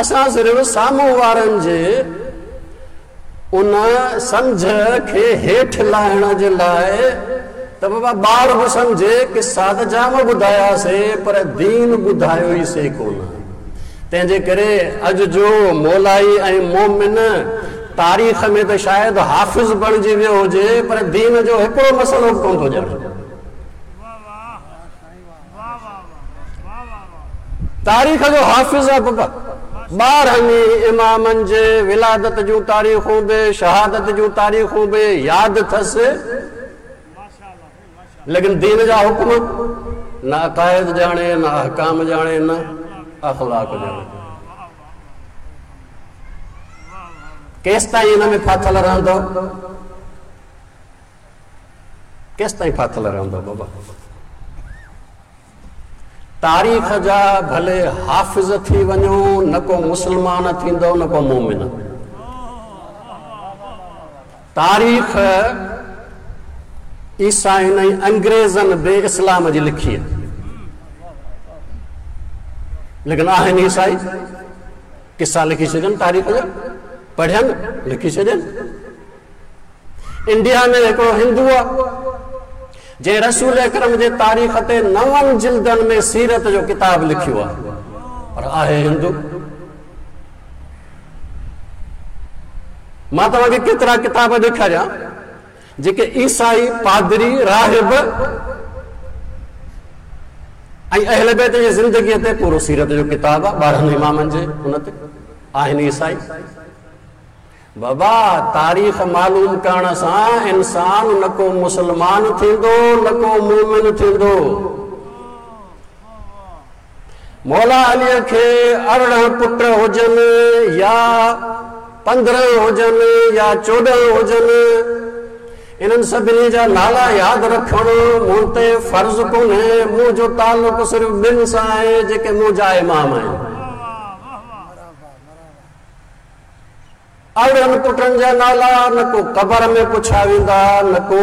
असां सिर्फ़ साम्हूं वारनि जे उन सम्झ खे हेठि लाहिण जे लाइ त बाबा ॿार बि सम्झे किस्सा त जाम ॿुधायासीं पर दीन ॿुधायो ई से कोन। तंहिंजे करे अॼु जो मौलाई ऐं मोमिन तारीख़ में त शायदि हाफ़िज़ बणिजी वियो हुजे पर दीन जो हिकिड़ो मसइलो बि कोन थो ॼाणे। तारीख़ जो हाफ़िज़ आहे बाबा, ॿारहनि इमामनि जे विलादत जूं तारीख़ूं बि, शहादत जूं तारीख़ूं बि यादि अथसि, लेकिन दीन जा हुक्म न अक़ाइद ॼाणे, न अहकाम ॼाणे, न अख़लाक ॼाणे। केसि ताईं हिन में फाथिल रहंदो? केसि ताईं फाथिल रहंदो बाबा? तारीख़ जा भले हाफ़िज़ थी वञो, न को मुस्लमान थींदो न को मोमिन। तारीख़ ईसाइनि ऐं अंग्रेज़नि बि इस्लाम जी लिखी आहे, लेकिन आहिनि ईसाई, किस्सा लिखी छॾनि, तारीख़ जा पढ़ियनि लिखी छॾनि। इंडिया में हिकिड़ो हिंदू आहे जंहिं रसूल अकरम जे तारीख़ ते नवनि जिल्दनि में सीरत जो किताबु लिखियो आहे, पर आहे हिंदू। मां तव्हांखे केतिरा किताब ॾेखारियां जेके ईसाई पादरी, राहिब ऐं अहल बैत जी ज़िंदगीअ ते पूरो सीरत जो किताबु आहे, ॿारहनि इमामनि जे उन ते आहिनि ईसाई। बाबा तारीख़ मालूम करण सां इंसान न को मुस्लमान थींदो न को मोमिन थींदो। मौला अलीअ खे अरिड़हं पुट हुजनि या पंद्रहं हुजनि या चोॾहं हुजनि, इन्हनि सभिनी जा नाला यादि रखणु मूं ते फ़र्ज़ कोन्हे। मुंहिंजो तालुक़ु सिर्फ़ ॿिनि सां आहे जेके मुंहिंजा इमाम आहिनि। अरिड़हनि पुटनि जा नाला न को क़बर में पुछा वेंदा न को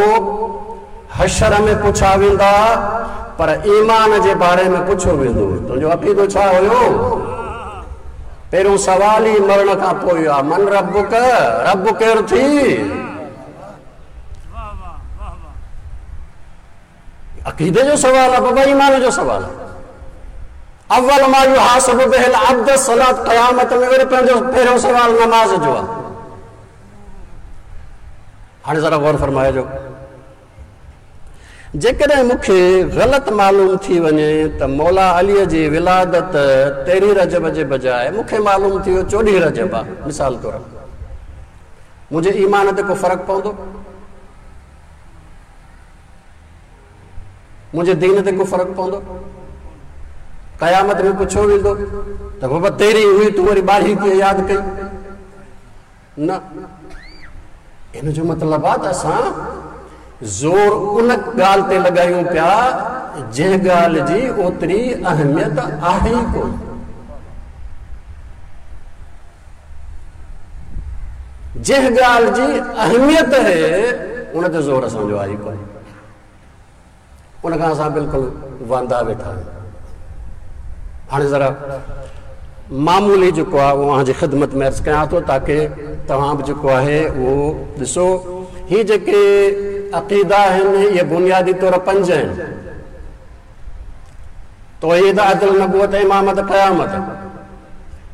हशर में पुछा वेंदा, पर ईमान जे बारे में पुछो वेंदो। तुंहिंजो अक़ीदो छा हुयो? पहिरियों सवाल ई मरण खां पोइ आहे, मन रबुक, रब केरु थी? अक़ीदे जो सवाल आहे बाबा, ईमान जो सवाल आहे। अव्वल मा युहासबु बिहिल अब्द सलात, क़यामत में वरी पंहिंजो पहिरियों सवाल नमाज़ जो आहे। हाणे ज़रा गौर फरमाइजो, जेकॾहिं मूंखे ग़लति मालूम थी वञे त मौला अलीअ जी विलादत तेरहीं रजब जे बजाए मूंखे मालूम थी वियो चोॾहीं रजब आहे, मिसाल तौरु, मुंहिंजे ईमान ते को फ़र्क़ु पवंदो? मुंहिंजे दीन ते को फ़र्क़ु पवंदो? क़यामत में पुछो वेंदो त बाबा तेरहीं हुई, तूं वरी ॿारहीं कीअं यादि कई? न, इन जो मतिलबु आहे त असां ज़ोर उन ॻाल्हि ते लॻायूं पिया जंहिं ॻाल्हि जी ओतिरी अहमियत आहे ई कोन। जंहिं ॻाल्हि जी अहमियत आहे उन ते ज़ोर असांजो आहे ई कोन, उन खां असां बिल्कुलु वांदा वेठा आहियूं। हाणे ज़रा मामूली जेको आहे उहो अव्हांजी ख़िदमत में अर्ज़ु कयां थो ताकी तव्हां बि जेको आहे उहो ॾिसो। ही जेके अक़ीदा आहिनि इहे बुनियादी तौर पंज आहिनि: तौहीद, अदल, नबूअत, इमामत, क़यामत।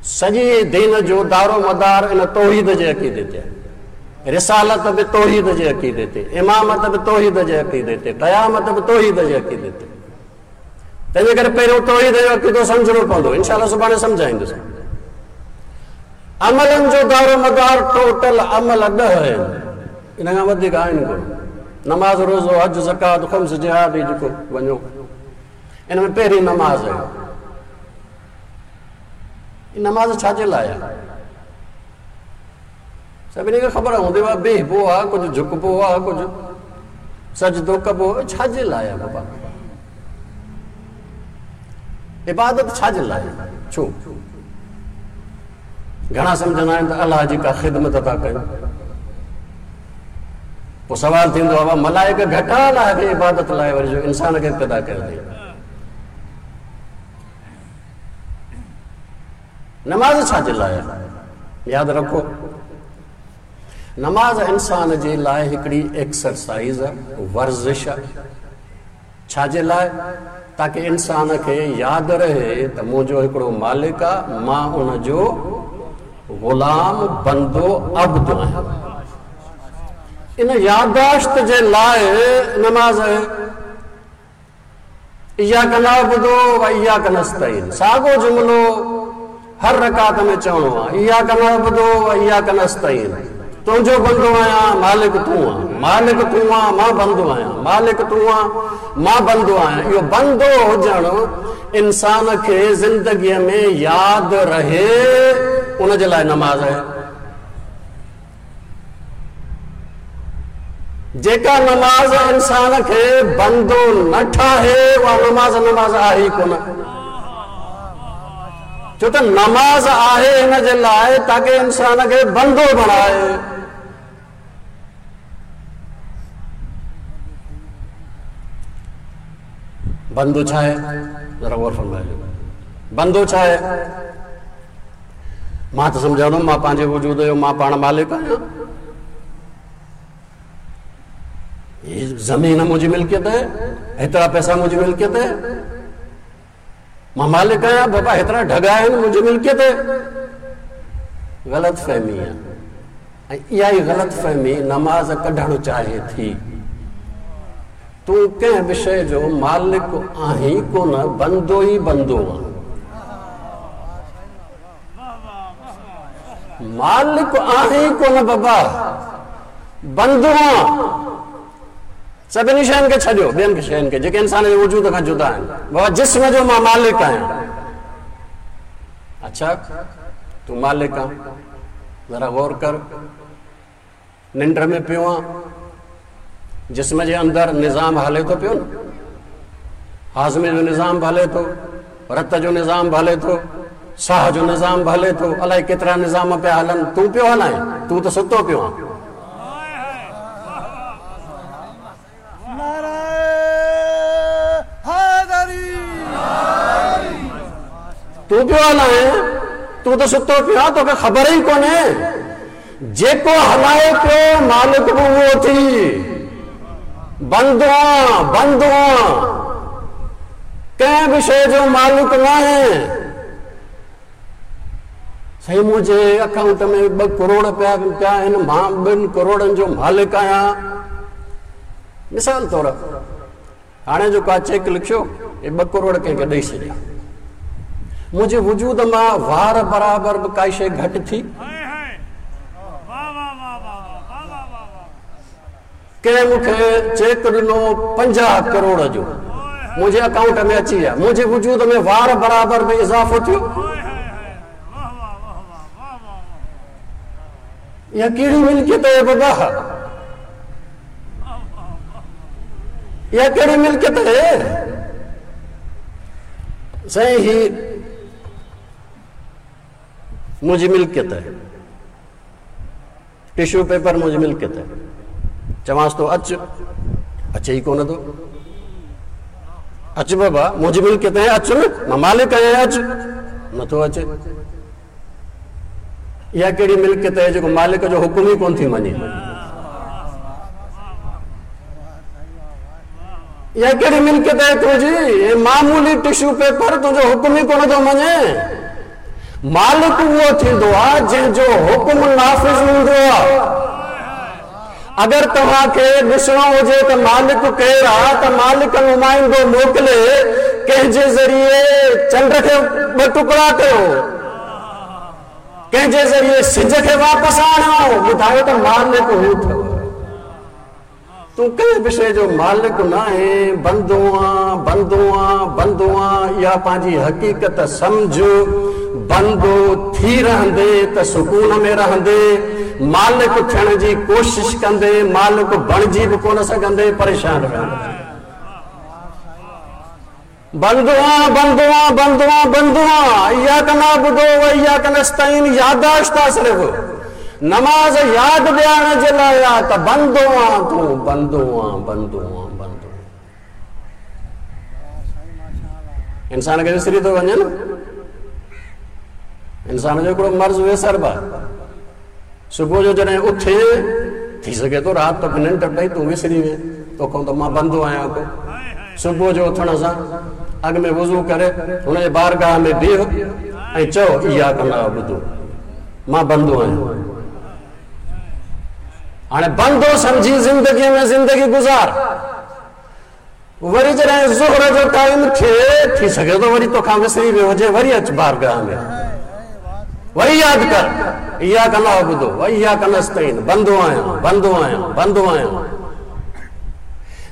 सॼी दीन जो दारो मदार इन तौहीद जे अक़ीदे ते आहे। रिसालत बि तौहीद जे अक़ीदे ते, इमामत बि तौहीद जे अक़ीदे ते, क़यामत बि तौहीद जे अक़ीदे ते। तंहिंजे करे पहिरियों तौहीद जो अक़ीदो सम्झणो पवंदो। इंशाअल्लाह सुभाणे सम्झाईंदुसि। अमलनि जो दारो मदार टोटल अमल ॾह आहिनि, इन खां वधीक आहिनि कोन। नमाज़, रोज़ो, हज, ज़कात, ख़ुम्स, जिहाद, जेको वञो, इन में पहिरीं नमाज़ आहे। नमाज़ छा जे लाइ आहे? सभिनी खे ख़बर हूंदी आहे, बीहबो आहे, कुझु झुकबो आहे, कुझु सजदो कबो, छा जे लाइ आहे बाबा? इबादत छा जे लाइ? छो? घणा सम्झंदा आहिनि त अलाह जी का ख़िदमत था कयूं। पोइ सवाल थींदो आहे, मलाइक घटि आहे अलाह खे इबादत लाइ, वरी जो इंसान खे पैदा कयो अथई? नमाज़ छा जे लाइ आहे? यादि रखो, नमाज़ इंसान जे लाइ हिकिड़ी एक्सरसाइज़ आहे, वर्ज़िश आहे। छा जे लाइ? ताकी इंसान खे यादि रहे त मुंहिंजो हिकिड़ो मालिक आहे, मां उनजो ग़ुलाम, बंदो, अब्द आहियां। इन यादाश्त जे लाइ नमाज़ आहे। इय्याक नअबुदु व इय्याक नस्तईन, साॻियो जुमिलो हर रकात में चवणो आहे। इय्याक नअबुदु व इय्याक नस्तईन, तुंहिंजो बंदो आहियां, मालिक तूं आहीं, मालिक तूं आहीं, मां बंदो आहियां, मालिक तूं आहीं, मां बंदो आहियां। इहो बंदो हुजणु इंसान खे ज़िंदगीअ में यादि रहे, उन जे लाइ नमाज़ आहे। जेका नमाज़ इंसान खे बंदो न ठाहे, उहा नमाज़ नमाज़ आहे ई कोन। छो त नमाज़ आहे हिन जे लाइ ताकी इंसान खे बंदो बणाए। बंदो छा आहे? ज़रा गौर फरमाइजो, बंदो छा आहे? मां त सम्झां मां पंहिंजे वजूद जो मां पाण मालिक आहियां, ज़मीन मुंहिंजी मिल्कियत आहे, हेतिरा पैसा मुंहिंजी मिल्कियत आहे, मां मालिक आहियां, बाबा हेतिरा ढॻा आहिनि मुंहिंजी मिल्कियत आहे। ग़लति फ़हमी आहे, ऐं इहा ई ग़लति फ़हमी नमाज़ कढणु चाहे थी। तूं कंहिं बि शइ जो मालिक आहीं कोन, बंदो ई बंदो आहीं। मालिक आहीं कोन बाबा, बंदो आहीं। सभिनी शयुनि खे छॾियो, ॿियनि शयुनि खे जेके इंसान जे वजूद खां जुदा आहिनि। बाबा जिस्म जो मां मालिक आहियां। अच्छा, तूं मालिक आहीं, ज़रा गौर कर, निंड में पियो आहीं, जिस्म जे अंदरि निज़ाम हले थो पियो न, हाज़मे जो निज़ाम बि हले थो, रत जो निज़ाम बि हले थो, साह जो निज़ाम बि हले थो, अलाए केतिरा निज़ाम पिया हलनि, तूं पियो हलाए, तूं त सुतो पियो आहीं। तूं पियो हलाए, तूं त सुतो पियो आहीं, तोखे ख़बर ई कोन्हे। जेको हलाए पियो मालिक बि उहो थी। बंदो आहीं, बंदो आहीं, कंहिं बि शइ जो मालिक न आहे। साईं मुंहिंजे अकाउंट में ॿ करोड़ पिया पिया आहिनि, मां ॿिनि करोड़नि जो मालिक आहियां। मिसाल तौरु हाणे जेको आहे चेक लिखियो, हे ॿ करोड़ कंहिंखे ॾेई छॾिया, मुंहिंजे वजूद मां वार बराबरि बि काई शइ घटि थी? कंहिं मूंखे चेक ॾिनो पंजाह करोड़ जो, मुंहिंजे अकाउंट में अची विया, मुंहिंजे वजूद में वार बराबरि बि इज़ाफ़ो थियो? इहा कहिड़ी मिल्कियत आहे बाबा? इहा कहिड़ी मिल्कियत आहे? साईं ही मुंहिंजी मिल्कियत आहे, टिश्यू पेपर मुंहिंजी मिल्कियत आहे। चवांसि थो अच, अचे ई कोन थो। अच बाबा, मुंहिंजी मिल्कियत आहे, अच न, मां मालिक आहियां, अच। नथो अचे। इहा कहिड़ी मिल्कियत आहे जेको मालिक जो हुकुम ई कोन थी मञे? इहा कहिड़ी मिल्कियत आहे तुंहिंजी? मामूली टिश्यू पेपर तुंहिंजो हुकुम ई कोन थो मञे। मालिक उहो थींदो आहे जंहिंजो हुकुम नाफ़िज़ हूंदो आहे। अगरि तव्हांखे ॾिसणो हुजे त मालिक केरु आहे त मालिक नुमाइंदो मोकिले कंहिंजे ज़रिए चंड खे ॿ टुकड़ा कयो, कंहिंजे ज़रिए सिज खे वापसि आणियो, ॿुधायो त मालिक हू अथव। तूं कंहिं बि शइ जो मालिक न आहे, बंदो आं, बंदो आं, बंदो आं। इहा पंहिंजी हक़ीक़त सम्झ। बंदो थी रहंदे त सुकून में रहंदे, मालिक थियण जी कोशिश कंदे मालिक बणिजी बि कोन सघंदे, परेशान रहंदे। बंदो आं, बंदो आं, बंदो आं, बंदो आं। इयाक नअबुदु व इयाक नस्तईन यादाश्त आहे सिर्फ़। नमाज़ यादि ॾियारण जे लाइ आहे त बंदो आं तूं, बंदो आं, बंदो आं, बंदो। इंसान खे विसरी थो वञे न, इंसान जो हिकिड़ो मर्ज़ वेसर बि आहे। सुबुह जो जॾहिं उथे, थी सघे थो राति तोखे निंड पई, तूं विसरी वे, तोखां त मां बंदो आहियां को। सुबुह जो उथण सां अॻु में वुज़ू करे हुनजे बारगाह में बीह ऐं चओ इयाक नअबुदु, मां बंदो आहियां। हाणे बंदो सम्झी ज़िंदगीअ में ज़िंदगी गुज़ार। वरी जॾहिं ज़ुहर जो टाइम थिए, थी सघे थो वरी तोखां विसरी वियो हुजे, वरी अच बारगाह में, वरी यादि कर इयाक नअबुदु व इयाक नस्तईन, बंदो आहियां, बंदो आहियां, बंदो आहियां।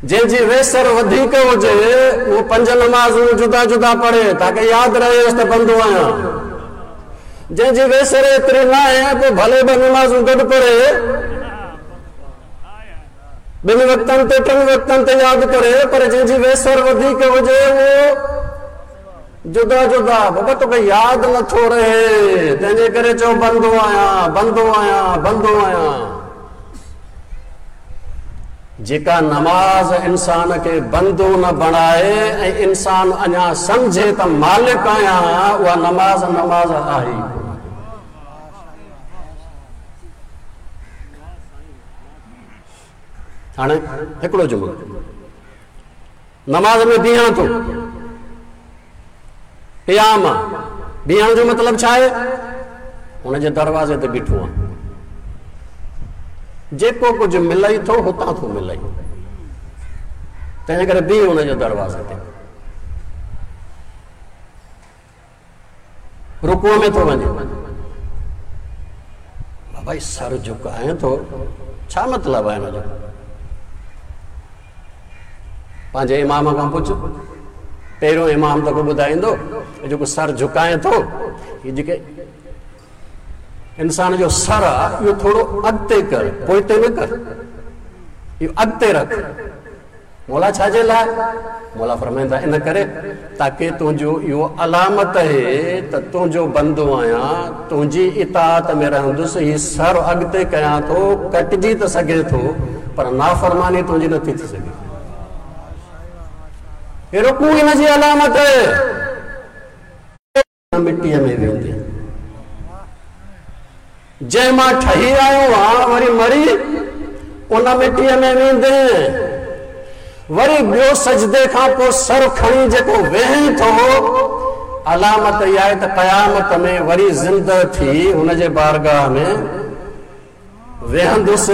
जंहिंजी वेसर वधीक हुजे उहो पंज नमाज़ूं जुदा जुदा पढ़े ताकी यादि रहेसि त बंदो आहियां। जंहिंजी वेसर एतिरी न आहे पोइ भले ॿ नमाज़ूं गॾु पढ़े, ॿिनि वक़्तनि ते टिनि वक़्तनि ते यादि करे, पर जंहिंजी वेसर वधीक हुजे उहो जुदा जुदा। बाबा तोखे यादि नथो रहे, तंहिंजे करे चओ बंदो आहियां, बंदो आहियां, बंदो आहियां। जेका नमाज़ इंसान खे बंदो न बणाए ऐं इंसान अञा सम्झे त मालिक आहियां, उहा नमाज़ नमाज़ आहे। हाणे हिकिड़ो जुमिलो, नमाज़ में बीहां थो, क़ियाम बीहण जो मतिलबु छा आहे? हुनजे दरवाज़े ते बीठो आहियां, जेको कुझु मिलई थो हुतां थो मिलई, तंहिंजे करे बीह हुनजे दरवाज़े ते। रुकूअ में थो वञे, भाई सर झुकाए थो, छा मतिलबु आहे हिनजो? पंहिंजे इमाम खां पुछ, पहिरियों इमाम तोखे ॿुधाईंदो जेको सर झुकाए थो, हीअ जेके इंसान जो सर आहे इहो थोरो अॻिते कर, पोइते न कर, इहो अॻिते रख। मौला छाजे लाइ? मौला फरमाइनि था इन करे ताकी तुंहिंजो इहो अलामत आहे त तुंहिंजो बंदो आहियां, तुंहिंजी इताअत में रहंदुसि, हीउ सर अॻिते कयां थो, कटिजी त सघे थो पर नाफ़रमानी तुंहिंजी नथी थी सघे। रुकू इन जी अलामत आहे। मिटीअ में वेंदे जंहिं मां ठही आयो आहे, वरी मरी उन मिटीअ में वेंदे। वरी ॿियो सजदे खां पोइ सर खणी जेको वेहे थो, علامت اها آهي ته قيامت ۾ وري زنده ٿي هن جي بارگاهه ۾ ويهندس.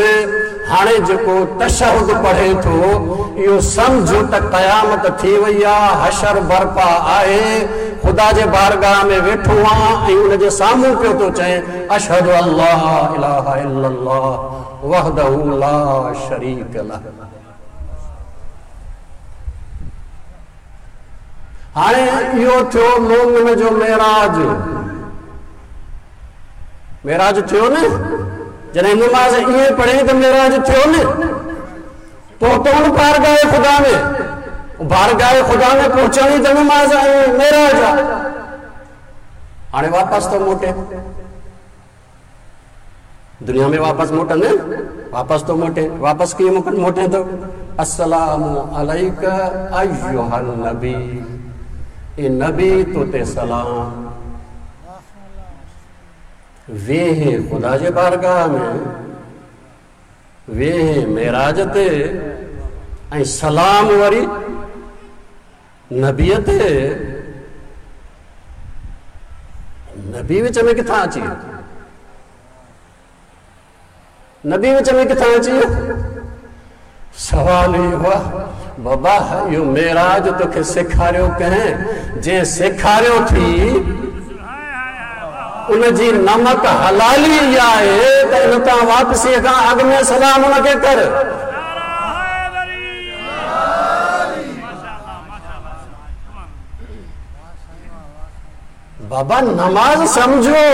هاڻي جيڪو تشهد پڙهي ٿو اهو سمجهه ته قيامت ٿي وئي آهي، حشر برپا آهي، خدا جي بارگاهه ۾ ويٺو آهي ۽ ان جي سامهون پيو ٿو چئي اشهد الله اله الا الله وحده لا شريڪ له. هاڻي اهو ٿيو مومن جو معراج. معراج ٿيو نه؟ جڏهن نماز ائين پڙهي ته معراج ٿيو نه؟ پهتو نه بارگاهه خدا ۾. بارگاهه خدا ۾ پهچڻ ئي ته نماز ۽ معراج آهي. هاڻي واپس ٿو موٽي دنيا ۾ واپس موٽندي، واپس ٿو موٽي. واپس ڪيئن موٽي ٿو؟ السلام عليڪ ايها النبي، اي نبي تو تي سلام. ويهه خدا جي بارگاهه ۾، ويهه معراج تي، ۽ سلام وري نبيءَ تي. نبي وچ ۾ ڪٿان اچي ويو؟ نبي وچ ۾ ڪٿان اچي ويو؟ سوال اهو آهي بابا، اهو معراج توکي سيکاريو ڪنهن؟ جنهن سيکاريو ٿي ان جي نمڪ حلالي اها آهي ته ان تان واپسيءَ کان اڳ ۾ سلام ان کي ڪر. بابا نماز سمجهو،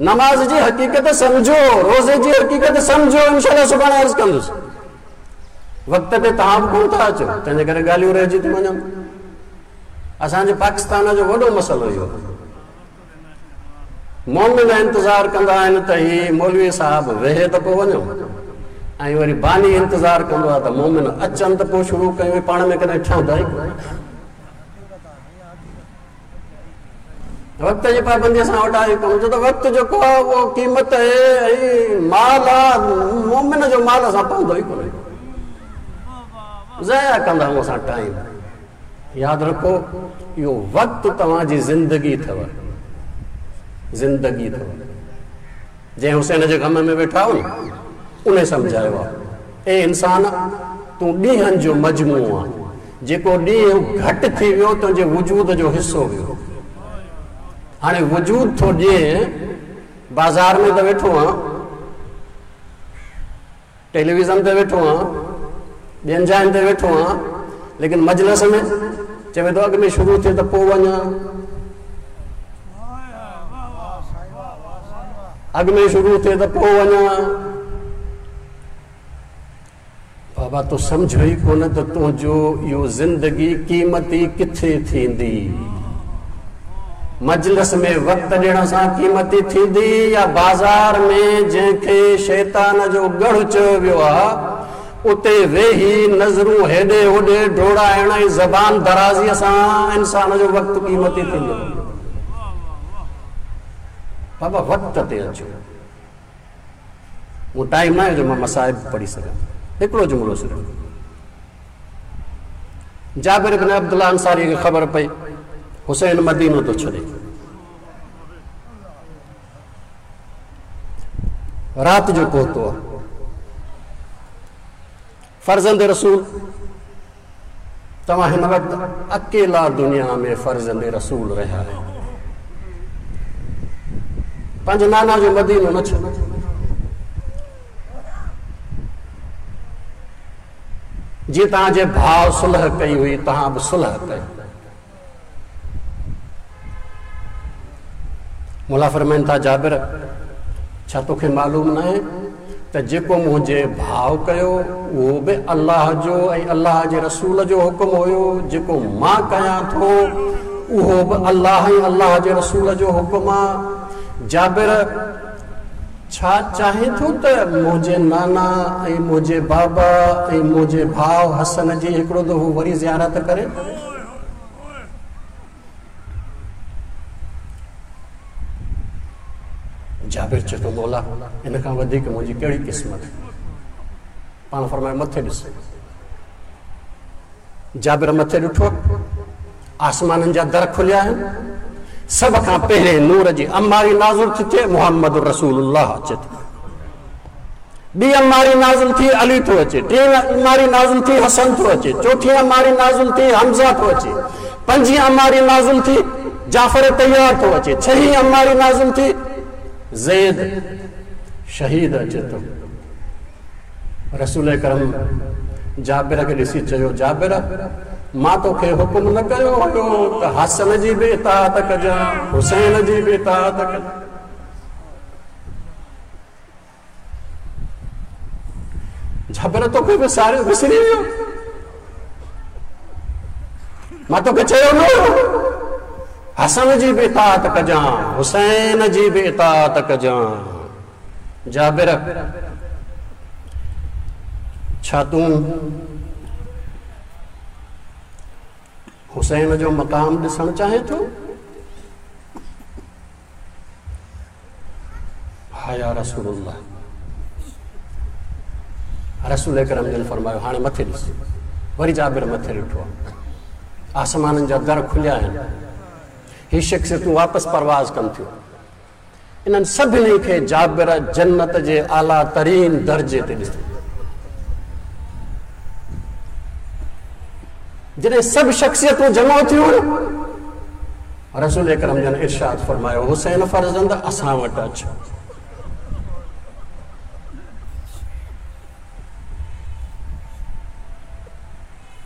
نماز جي حقيقت سمجهو، روزي جي حقيقت سمجهو. انشاءالله سڀاڻي عرض ڪندس. وقت تي توهان به ڪونه ٿا اچو، تنهن جي ڪري ڳالهيون رهجي ٿيون وڃن. اسان جي پاڪستان جو وڏو مسئلو اهو، مومن انتظار ڪندا آهن ته هي مولوي صاحب ويهي ته پوءِ وڃو، ۽ وري باني انتظار ڪندو آهي ته مومن اچن ته پوءِ شروع ڪيون. پاڻ ۾ ڪڏهن ٺهندا ئي ڪونه. وقت جي پابندي اسان وٽ آهي ڪونه، ڇو ته وقت جيڪو آهي اهو قيمت آهي ۽ مال آهي. مومن جو مال اسان پوندو ئي ڪونهي، ضايع ڪندا آهيون اسان ٽائيم. ياد رکو اهو وقت توهان جي زندگي اٿو، زندگي اٿو. جنهن حسين جي غم ۾ ويٺا آهيو نه، ان سمجهايو آهي اي انسان، تون ڏينهن جو مجموعو آهي، جيڪو ڏينهن گهٽ ٿي ويو تنهنجي وجود جو حصو ويو. هاڻي وجود ٿو ڏئي، بازار ۾ ته ويٺو آهيان، ٽيليويزن تي ويٺو آهيان، ٻين جاين تي ويٺو آهيان، ليڪن مجلس ۾ چوي ٿو اڳ ۾ شروع ٿئي ته پوءِ وڃان، اڳ ۾ شروع ٿئي ته پوءِ وڃان. بابا تو سمجهو ئي ڪونه ته تنهنجو اهو زندگي قيمتي ڪٿي ٿيندي؟ مجلس ۾ وقت ڏيڻ سان قيمتي ٿيندي يا بازار ۾ جنهن کي شيطان جو ڳڙهه چيو ويو آهي اتي ويهي نظرون هيڏي هوڏي ڊوڙائڻ ۽ زبان درازيءَ سان انسان جو وقت قيمتي ٿيندو؟ بابا وقت تي اچو. اهو ٽائيم نه آهي جو مان مصائب پڙهي سگهان. هڪڙو جملو صرف. جابر بن عبدالله انصاري کي خبر پئي حسين مدينو ٿو ڇڏي. رات جو پهتو آهي. فرزند رسول، توهان هن وقت اڪيلا دنيا ۾ فرزند رسول رهيا آهيو. پنهنجي نانا جو مدينو نه ڇڏ. جيئن توهان جي ڀاءُ صلح ڪئي هئي، توهان به صلح ڪيو. مولا فرمائن ٿا جابر، ڇا توکي معلوم نه آهي ته جيڪو منهنجي ڀاءُ ڪيو اهو به الله جو ۽ الله جي رسول جو حڪم هيو، جيڪو مان ڪيان ٿو اهو به الله ۽ الله جي رسول جو حڪم آهي. جابر، ڇا چاهي ٿو ته منهنجي نانا ۽ منهنجي بابا ۽ منهنجي ڀاءُ حسن جي هڪڙو دفعو وري زيارت ڪري؟ جابر چئي ٿو مولا، ان کان وڌيڪ منهنجي ڪهڙي قسمت. پاڻ فرمايو مٿي ڏس. جابر مٿي ڏٺو، आसमाननि जा दर खुलिया आहिनि। सभ खां पहिरें नूर जी अम्मारी नाज़िल थी थिए, मुहम्मद रसूलुल्लाह अचे थो। ॿी अम्मारी नाज़िल थी, अली थो अचे। टीं अम्मारी नाज़िल थी, हसन थो अचे। चोथी अम्मारी नाज़िल थी, हमज़ा थो अचे। पंजी अम्मारी नाज़िल थी, जाफ़र तैयार थो अचे। छही अम्मारी नाज़िल थी, ज़ैद शहीद अचे थो। रसूल करम जाबिर खे ॾिसी चयो, जाबिर मां तोखे हुकुम न कयो हुयो त हसन जी बि इताअत कजां, हुसैन जी बि इताअत कजां। जाबिर तोखे विसारे विसरी वियो, मां तोखे चयो न हुयो हसन जी बि इताअत कजां, हुसैन जी बि इताअत कजां। जाबिर छा तूं हुसैन जो मक़ाम ॾिसणु चाहे थो? हा या रसूलुल्लाह। रसूल करम जन फरमायो, हाणे मथे ॾिस। वरी जाबिर मथे ॾिठो, आसमाननि जा दर खुलिया आहिनि, ही शख्सियतूं वापसि परवाज़ कनि थियूं। इन्हनि सभिनी खे जाबिर जन्नत जे आला तरीन दर्जे ते ॾिसो। जॾहिं सभु शख्सियतूं जमा थियूं, रसूल करम जन इरशाद फरमायो, हुसैन फर्ज़ंद असां वटि अच।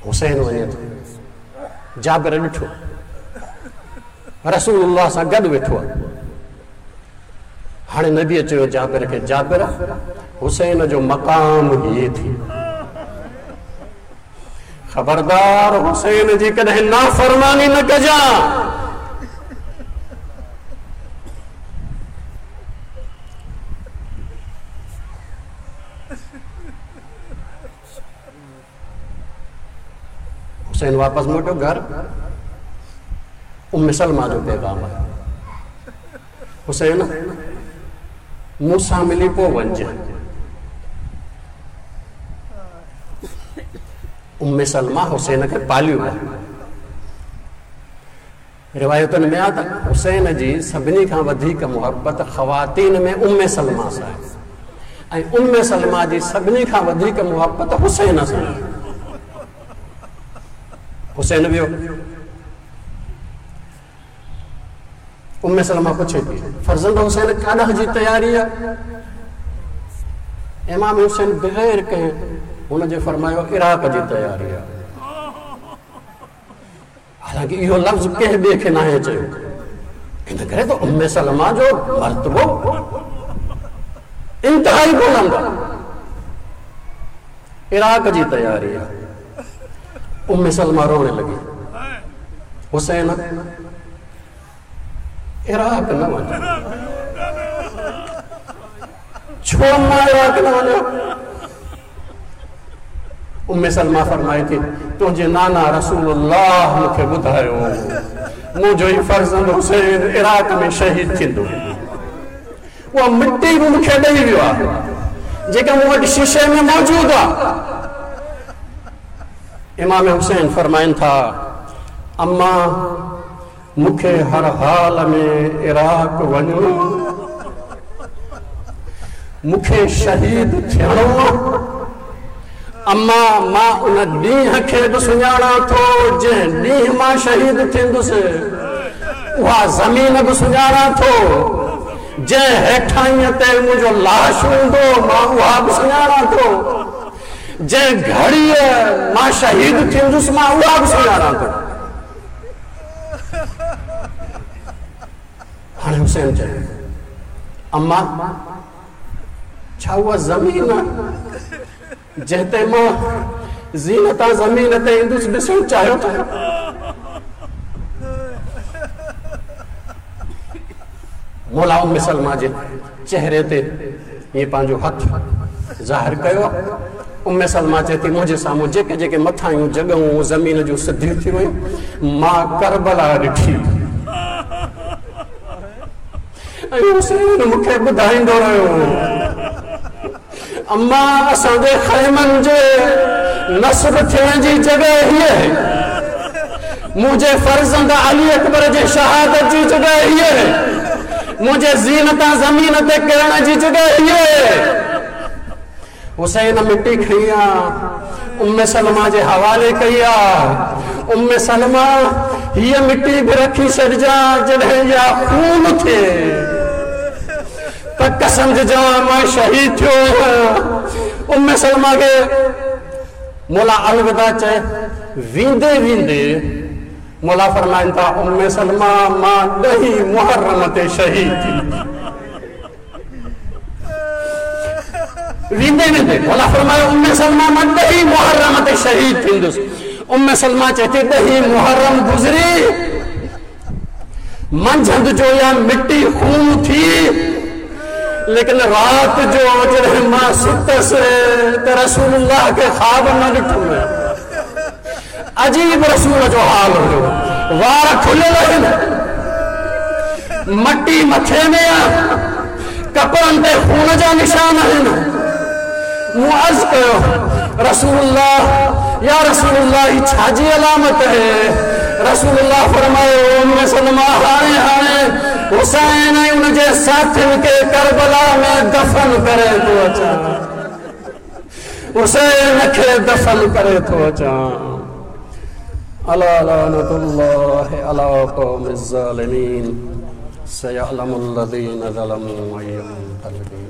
हुसैन वञे थो, जाबिर ॾिठो, रसूलुल्लाह सां गॾु वेठो आहे। हाणे नबीअ चयो जाबिर खे, जाबिर हुसैन जो मक़ाम हीअ थी, ख़बरदार हुसैन जी कॾहिं नाफ़रमानी न कजां। हुसैन वापसि मोटियो घर, उम्म सलमा जो पैगाम आयो, हुसैन मूंसां मिली पोइ वञिजांइ। उम्म सलमा हुसैन खे पालियो आहे। रिवायतुनि में आहे त हुसैन जी सभिनी खां वधीक मुहबत ख़वातीन में उम्म सलमा सां आहे ऐं उम्म सलमा जी सभिनी खां वधीक मुहबत हुसैन सां आहे। हुसैन वियो, उम्म सलमा पुछे थी, फर्ज़ंद हुसैन काॾां जी तयारी आहे? इमाम हुसैन बग़ैर कंहिं हुनजे फरमायो, इराक जी तयारी आहे। हालांकि इहो लफ़्ज़ कंहिं ॿिए खे नाहे चयो, इन करे त उम्म सलमा जो मर्तबो इंतिहाई बुलंद आहे। इराक जी तयारी आहे। उम्म सलमा रोअण लॻी, हुसैन इराक न वञ, छो मां इराक न वञा? उम्म सलमा फरमाए थी, तुंहिंजे नाना रसूलुल्लाह मूंखे ॿुधायो मुंहिंजो ई फर्ज़ंद हुसैन इराक में शहीद थींदो। उहा मिटी बि मूंखे ॾेई वियो आहे जेका मूं वटि शीशे में मौजूदु आहे। इमाम हुसैन फरमाइनि था, अम्मा मूंखे हर हाल में इराक वञिणो, मूंखे शहीद थियणो। अम्मा मां उन ॾींहं खे बि सुञाणा थो जंहिं ॾींहुं मां शहीद थींदुसि, उहा ज़मीन बि सुञाणा थो जंहिं हेठाईअ ते मुंहिंजो लाश हूंदो, मां उहा बि सुञाणा थो। जंहिं घड़ीअ मां शहीद थींदुसि, मां उहा बि सुञाणा थो। हाणे हुसैन चयो, अम्मा छा उहा ज़मीन जंहिं ते मां ज़ीनता ज़मीन ते ईंदुसि ॾिसणु चाहियो था? मौला उम्म सलमा जे चेहरे ते ईअं पंहिंजो हथु ज़ाहिर कयो। उम्म सलमा चए थी, मुंहिंजे साम्हूं जेके जेके मथायूं जॻहियूं ज़मीन जूं सिधियूं थी वयूं, मां करबला ॾिठी ऐं हुसैन मूंखे ॿुधाईंदो रहियो, अम्मा असांजे ख़ैमनि जे नस्ब थियण जी जॻह हीअ आहे, मुंहिंजे फर्ज़ंद अली अकबर जे शहादत जी जॻह हीअ आहे, मुंहिंजे ज़ीन तां ज़मीन ते किरण जी जॻह हीअ आहे। हुसैन मिट्टी खणी आहे, उम्मे सलमा जे हवाले कई आहे। उम्मे सलमा हीअ मिट्टी बि रखी छॾिजां, जॾहिं इहा खून थिए पक सम्झिजां मां शहीद थियो आहियां। उम्मे सलमा खे मौला अलविदा चए, वेंदे वेंदे मौला फरमाइनि था, उम्मे सलमा मां ॾही मुहर्रम ते शहीद थी। वेंदे वेंदे मौला फरमायो, उम्मे सलमा मां ॾही मुहर्रम ते शहीद थींदुसि। उम्मे सलमा चए थी, ॾही मुहर्रम गुज़री, मंझंदि जो इहा मिट्टी खून थी, लेकिन राति जो जॾहिं मां सुतसि त रसूलुल्लाह खे ख़्वाब न ॾिठो। अजीब रसूल जो हाल हुयो, वार खुलियल आहिनि, मटी मथे में आहे, कपिड़नि ते खून जा निशान आहिनि। मूं अर्ज़ कयो, रसूलुल्लाह या रसूलुल्लाह, हीअ छाजी अलामत आहे? रसूलुल्लाह फरमायो, उम्मे सलमा हाणे हाणे हुसैन ऐं उनजे साथियुनि खे करबला में दफ़न करे थो अचां, हुसैन खे दफ़न करे थो अचां। अला लानतुल्लाहि अला क़ौमिज़ ज़ालिमीन सयअलमुल लज़ीना ज़लमू अय्य मुनक़लिबिन।